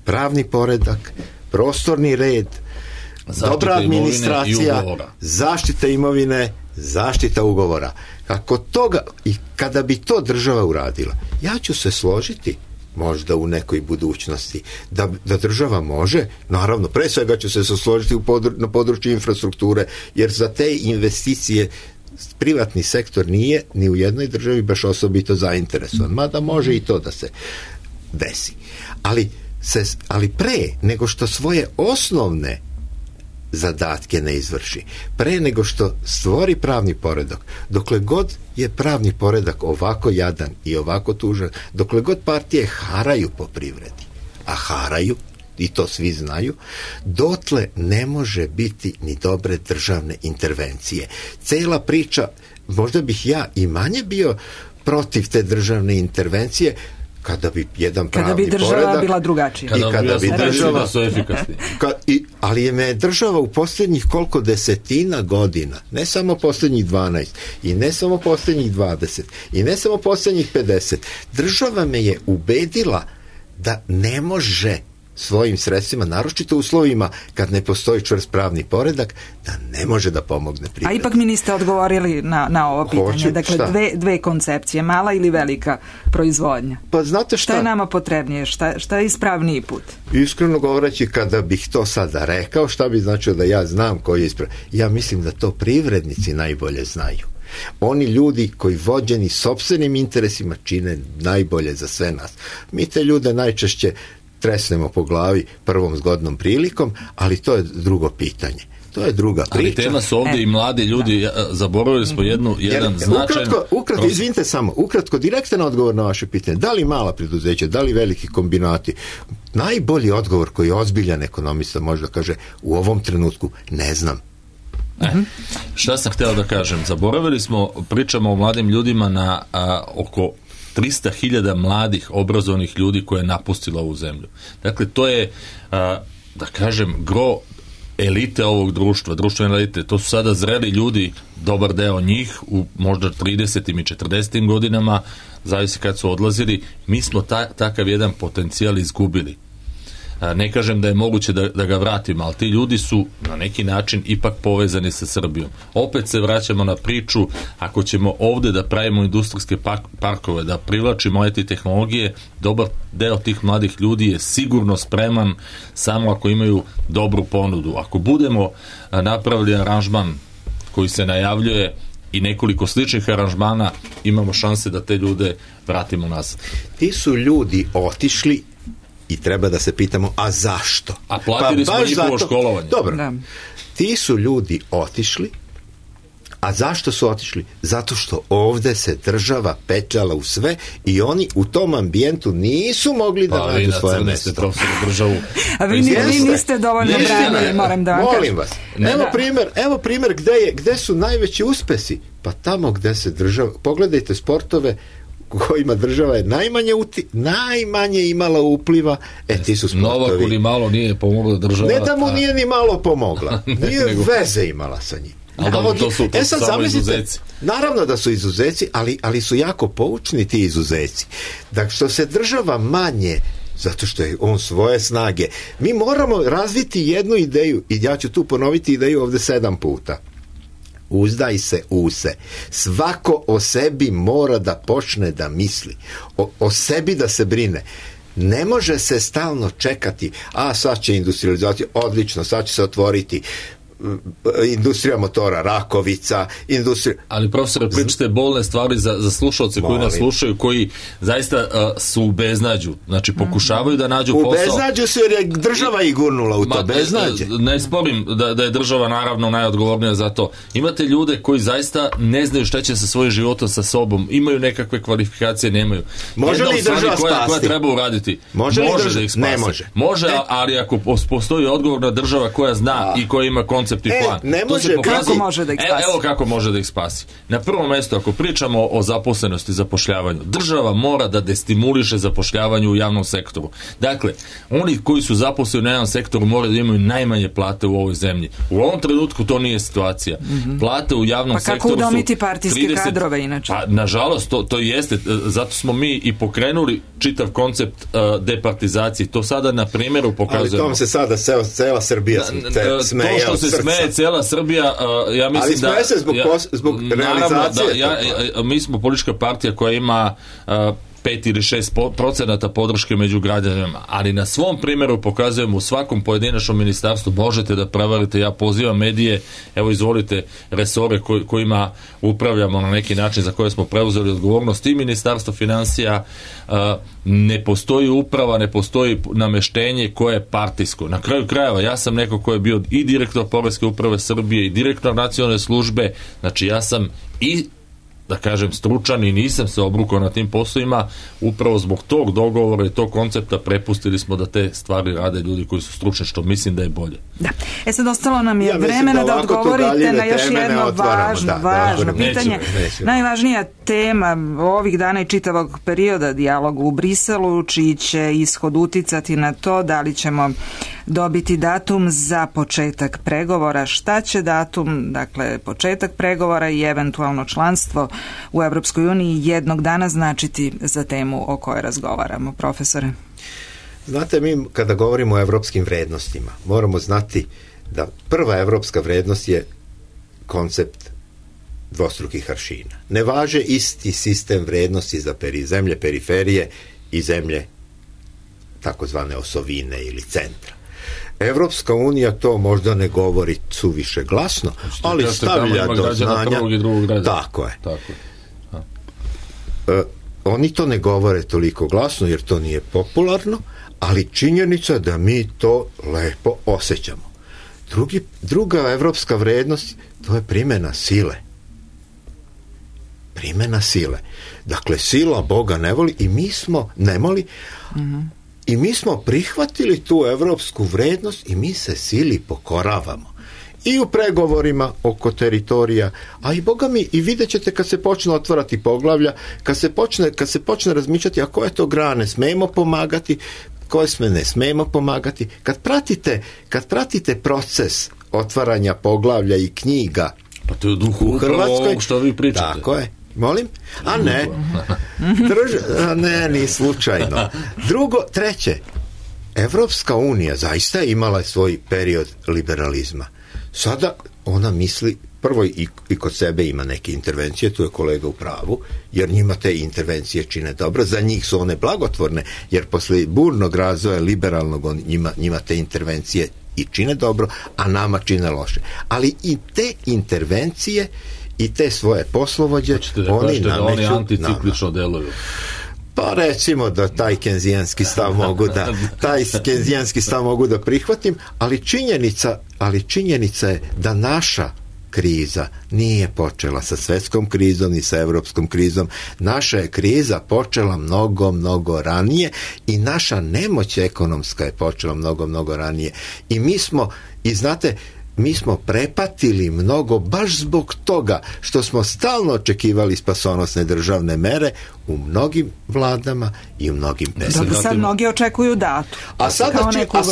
Speaker 4: pravni poredak, prostorni red, dobra administracija, zaštita imovine, zaštita ugovora. Kako toga, i kada bi to država uradila, ja ću se složiti možda u nekoj budućnosti da država može, naravno pre svega ću se složiti na području infrastrukture, jer za te investicije privatni sektor nije ni u jednoj državi baš osobito zainteresovan, mada može i to da se desi. Ali pre nego što svoje osnovne zadatke ne izvrši, pre nego što stvori pravni poredak, dokle god je pravni poredak ovako jadan i ovako tužan, dokle god partije haraju po privredi, a haraju, i to svi znaju, dotle ne može biti ni dobre državne intervencije. Cela priča, možda bih ja i manje bio protiv te državne intervencije, kada bi jedan pravni poredak... Kada bi država
Speaker 3: bila drugačija.
Speaker 5: Kada bi država... su efikasni.
Speaker 4: Ali je država u posljednjih koliko desetina godina, ne samo posljednjih 12, i ne samo posljednjih 20, i ne samo posljednjih 50, država me je ubedila da ne može svojim sredstvima, naročito u uslovima kad ne postoji čvrst pravni poredak, da ne može da pomogne privredi.
Speaker 3: A ipak mi niste odgovorili na ovo pitanje. Dakle, dve koncepcije, mala ili velika proizvodnja.
Speaker 4: Pa znate šta
Speaker 3: je nama potrebnije? Šta je ispravniji put?
Speaker 4: Iskreno govoreći, kada bih to sada rekao, šta bi značilo da ja znam koji je ispravni? Ja mislim da to privrednici najbolje znaju. Oni ljudi koji vođeni sopstvenim interesima čine najbolje za sve nas. Mi te ljude najčešće tresnemo po glavi prvom zgodnom prilikom, ali to je drugo pitanje. To je druga priča.
Speaker 5: Ali tema su ovdje i mladi ljudi, zaboravili smo jedan značajan...
Speaker 4: Ukratko, izvinite samo, direktan odgovor na vaše pitanje. Da li mala preduzeća, da li veliki kombinati? Najbolji odgovor koji ozbiljan ekonomista može da kaže u ovom trenutku ne znam.
Speaker 5: Šta sam htio da kažem? Zaboravili smo, pričamo o mladim ljudima na oko 300.000 mladih obrazovnih ljudi koje je napustilo ovu zemlju. Dakle, to je, da kažem, gro elite ovog društva, društvene elite. To su sada zreli ljudi, dobar deo njih, u možda 30. i 40. godinama, zavisi kad su odlazili. Mi smo takav jedan potencijal izgubili. Ne kažem da je moguće da ga vratimo, ali ti ljudi su na neki način ipak povezani sa Srbijom. Opet se vraćamo na priču, ako ćemo ovdje da pravimo industrijske parkove, da privlačimo IT tehnologije, dobar deo tih mladih ljudi je sigurno spreman samo ako imaju dobru ponudu. Ako budemo napravili aranžman koji se najavljuje i nekoliko sličnih aranžmana, imamo šanse da te ljude vratimo nazad.
Speaker 4: Ti su ljudi otišli i treba da se pitamo, a zašto?
Speaker 5: A platili smo njihovo školovanje.
Speaker 4: Dobro, ti su ljudi otišli, a zašto su otišli? Zato što ovdje se država petljala u sve i oni u tom ambijentu nisu mogli da nađu svoje mesto.
Speaker 3: A vi niste dovoljno branili, moram da vam kažem.
Speaker 4: Molim vas. Evo primjer gde su najveći uspesi. Pa tamo gde se država, pogledajte sportove kojima država je najmanje imala upliva, ti su sportovi.
Speaker 5: Novaku ni malo nije pomogla država.
Speaker 4: Ne da mu nije ni malo pomogla, nije veze imala sa njim.
Speaker 5: To su samo izuzeci.
Speaker 4: Naravno da su izuzeci, ali su jako poučni ti izuzeci. Dakle, što se država manje, zato što je on svoje snage, mi moramo razviti jednu ideju, i ja ću tu ponoviti ideju ovdje 7 puta. Uzdaj se u se. Svako o sebi mora da počne da misli. O sebi da se brine. Ne može se stalno čekati, sad će industrializacija, odlično, sad će se otvoriti industrija motora, Rakovica,
Speaker 5: Ali profesore, pričate bolne stvari za slušalce koji nas slušaju, koji zaista su u beznađu. Znači, pokušavaju da nađu posao.
Speaker 4: U beznađu su jer je država i gurnula u to beznađe.
Speaker 5: Ne sporim da je država naravno najodgovornija za to. Imate ljude koji zaista ne znaju šta će sa svojim životom, sa sobom. Imaju nekakve kvalifikacije, nemaju.
Speaker 4: Može li država spasti?
Speaker 5: Koja treba uraditi?
Speaker 4: Može da ih spasi?
Speaker 5: Ne može. Može, ali ako postoji odgovorna država koja zna i koja ima koncept i plan.
Speaker 3: Kako može da ih spasi?
Speaker 5: Evo kako može da ih spasi. Na prvom mjestu, ako pričamo o zaposlenosti i zapošljavanju, država mora da destimuliše zapošljavanje u javnom sektoru. Dakle, oni koji su zaposleni u javnom sektoru moraju da imaju najmanje plate u ovoj zemlji. U ovom trenutku to nije situacija. Plate u javnom sektoru su...
Speaker 3: Pa kako udomiti partijske kadrove inače?
Speaker 5: Pa, nažalost, to jeste. Zato smo mi i pokrenuli čitav koncept departizacije. To sada na primjeru pokazujemo.
Speaker 4: Ali tom se sada cela Srbija smeje.
Speaker 5: To što se smeje cela Srbija, ja mislim da...
Speaker 4: Ali smeje se zbog realizacije.
Speaker 5: Mi smo politička partija koja ima 5 ili 6% podrške među građanima, ali na svom primjeru pokazujemo u svakom pojedinačnom ministarstvu možete da prevarite. Ja pozivam medije, evo izvolite resore kojima upravljamo na neki način, za koje smo preuzeli odgovornost, i ministarstvo financija. Ne postoji uprava, ne postoji nameštenje koje je partijsko. Na kraju krajeva, ja sam neko ko je bio i direktor Poreske uprave Srbije i direktor nacionalne službe, znači ja sam i, da kažem, stručan i nisam se obrukao na tim poslovima. Upravo zbog tog dogovora i tog koncepta prepustili smo da te stvari rade ljudi koji su stručni, što mislim da je bolje.
Speaker 3: Da. Sad ostalo nam je vremena da odgovorite na još jedno važno pitanje. Najvažnija tema ovih dana i čitavog perioda dijaloga u Briselu, čiji će ishod uticati na to da li ćemo dobiti datum za početak pregovora. Šta će datum, dakle početak pregovora i eventualno članstvo u Evropskoj uniji jednog dana značiti za temu o kojoj razgovaramo, profesore?
Speaker 4: Znate, mi kada govorimo o evropskim vrednostima, moramo znati da prva evropska vrednost je koncept dvostrukih aršina. Ne važe isti sistem vrednosti za zemlje periferije i zemlje takozvane osovine ili centra. Evropska unija to možda ne govori suviše glasno, ali stavlja do znanja. Tako je. Oni to ne govore toliko glasno jer to nije popularno, ali činjenica da mi to lepo osjećamo. Druga evropska vrednost, to je primjena sile. Primjena sile. Dakle, sila Boga ne voli i mi smo i mi smo prihvatili tu evropsku vrednost i mi se sili pokoravamo. I u pregovorima oko teritorija, a i Boga mi, i vidjet ćete kad se počne otvarati poglavlja, kad se počne razmišljati, a koje to grane smemo pomagati, koje sme ne smemo pomagati. Kad pratite proces otvaranja poglavlja i knjiga
Speaker 5: pa to je u Hrvatskoj, što vi pričate.
Speaker 4: Tako je. Molim? A ne. Ni slučajno. Treće, Evropska unija zaista je imala svoj period liberalizma. Sada ona misli, prvo i kod sebe ima neke intervencije, tu je kolega u pravu, jer njima te intervencije čine dobro, za njih su one blagotvorne, jer posle burnog razvoja liberalnog njima te intervencije i čine dobro, a nama čine loše. Ali i te intervencije i te svoje poslovođe oni nameću.
Speaker 5: Oni anticiklično deluju.
Speaker 4: Pa recimo da taj kenzijanski stav mogu da prihvatim, ali činjenica je da naša kriza nije počela sa svetskom krizom ni sa evropskom krizom. Naša je kriza počela mnogo ranije i naša nemoć ekonomska je počela mnogo ranije. I mi smo prepatili mnogo baš zbog toga što smo stalno očekivali spasonosne državne mere u mnogim vladama i u mnogim pesama.
Speaker 3: Sad mnogi očekuju datu.
Speaker 4: A sada očekuju,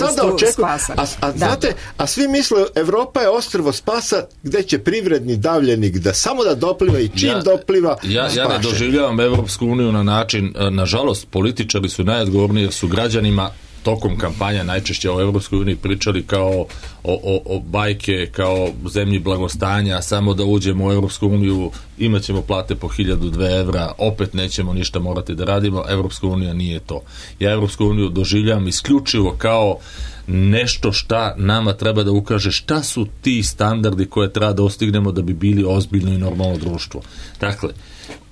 Speaker 4: a svi misle Evropa je ostrvo spasa gde će privredni davljenik da samo da dopliva i čim dopliva
Speaker 5: ja ne doživljavam Evropsku uniju na način, nažalost političari su najodgovorniji jer su građanima tokom kampanja najčešće o Evropskoj uniji pričali kao o bajke, kao zemlji blagostanja, samo da uđemo u Evropsku uniju, imat ćemo plate po 1.002 evra, opet nećemo ništa morati da radimo. Evropska unija nije to. Ja Evropsku uniju doživljam isključivo kao nešto šta nama treba da ukaže šta su ti standardi koje treba da ostignemo da bi bili ozbiljno i normalno društvo. Dakle,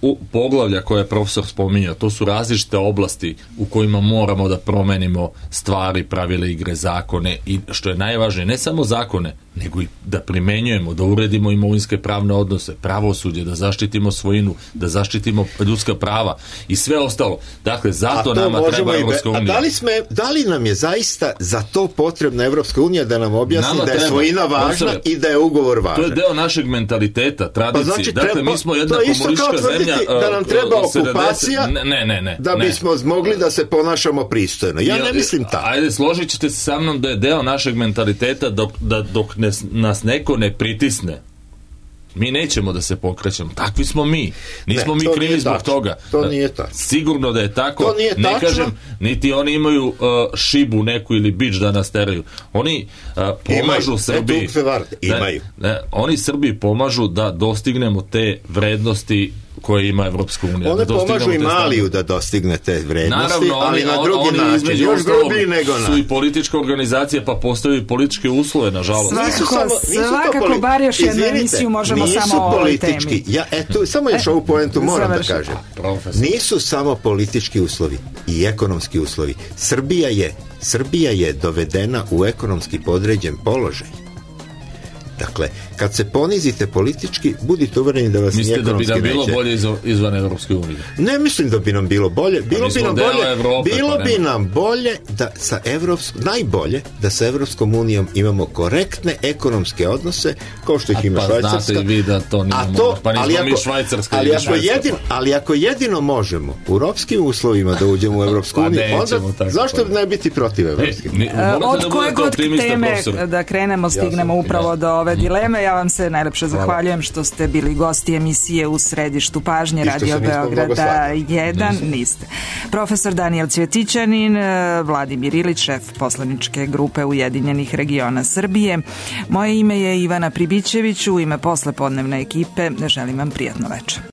Speaker 5: u poglavlja koje je profesor spominjao, to su različite oblasti u kojima moramo da promenimo stvari, pravile igre, zakone i što je najvažnije, ne samo zakone, nego i da primenjujemo, da uredimo imovinske pravne odnose, pravosuđe, da zaštitimo svojinu, da zaštitimo ljudska prava i sve ostalo. Dakle, zato nama treba Evropska unija.
Speaker 4: Da li nam je zaista za to potrebna Evropska unija da nam objasni da je svojina važna i da je ugovor važan?
Speaker 5: To je deo našeg mentaliteta, tradicije. Dakle, mi smo jedna komunistička zemlja.
Speaker 4: Da nam treba okupacija da bismo mogli da se ponašamo pristojno. Ja ne mislim tako.
Speaker 5: Ajde, složit ćete se sa mnom da je deo našeg mentaliteta dok nas neko ne pritisne. Mi nećemo da se pokrećemo. Takvi smo mi. Nismo mi krivi zbog toga.
Speaker 4: To nije tako.
Speaker 5: Sigurno da je tako. Ne kažem, niti oni imaju šibu neku ili bič da nas teraju. Oni pomažu Srbiji. Oni Srbiji pomažu da dostignemo te vrednosti koje ima Evropska unija.
Speaker 4: One pomažu i Maliju da dostigne te vrednosti, ali na drugi način, još grublji nego na.
Speaker 5: Su i politička organizacija, pa postavljaju političke uslove, nažalost.
Speaker 3: Svakako, bar još jednu emisiju možemo samo o ovoj temi.
Speaker 4: Samo još ovu poentu moram da kažem. Nisu samo politički uslovi i ekonomski uslovi. Srbija je dovedena u ekonomski podređen položaj. Dakle, kad se ponizite politički, budite uvereni da vas ni ekonomski neće.
Speaker 5: Mislite da bi nam bilo bolje izvan Evropske unije?
Speaker 4: Ne mislim da bi nam bilo bolje. Bilo bi nam bolje najbolje da sa Evropskom unijom imamo korektne ekonomske odnose, kao što ih ima Švajcarska.
Speaker 5: Pa znate i vi da to nije možda. Pa nismo mi Švajcarska.
Speaker 4: Ali ako jedino možemo u ropskim uslovima da uđemo u Evropsku uniju, onda zašto ne biti protiv Evropske unije?
Speaker 3: Od koje god teme da krenemo stignemo upravo do ove dileme. Ja vam se najlepše zahvaljujem što ste bili gosti emisije U središtu pažnje Radio Beograda 1. Niste. Profesor Danijel Cvjetićanin, Vladimir Ilić, šef poslaničke grupe Ujedinjenih regiona Srbije. Moje ime je Ivana Pribićević, u ime poslepodnevne ekipe želim vam prijatno večer.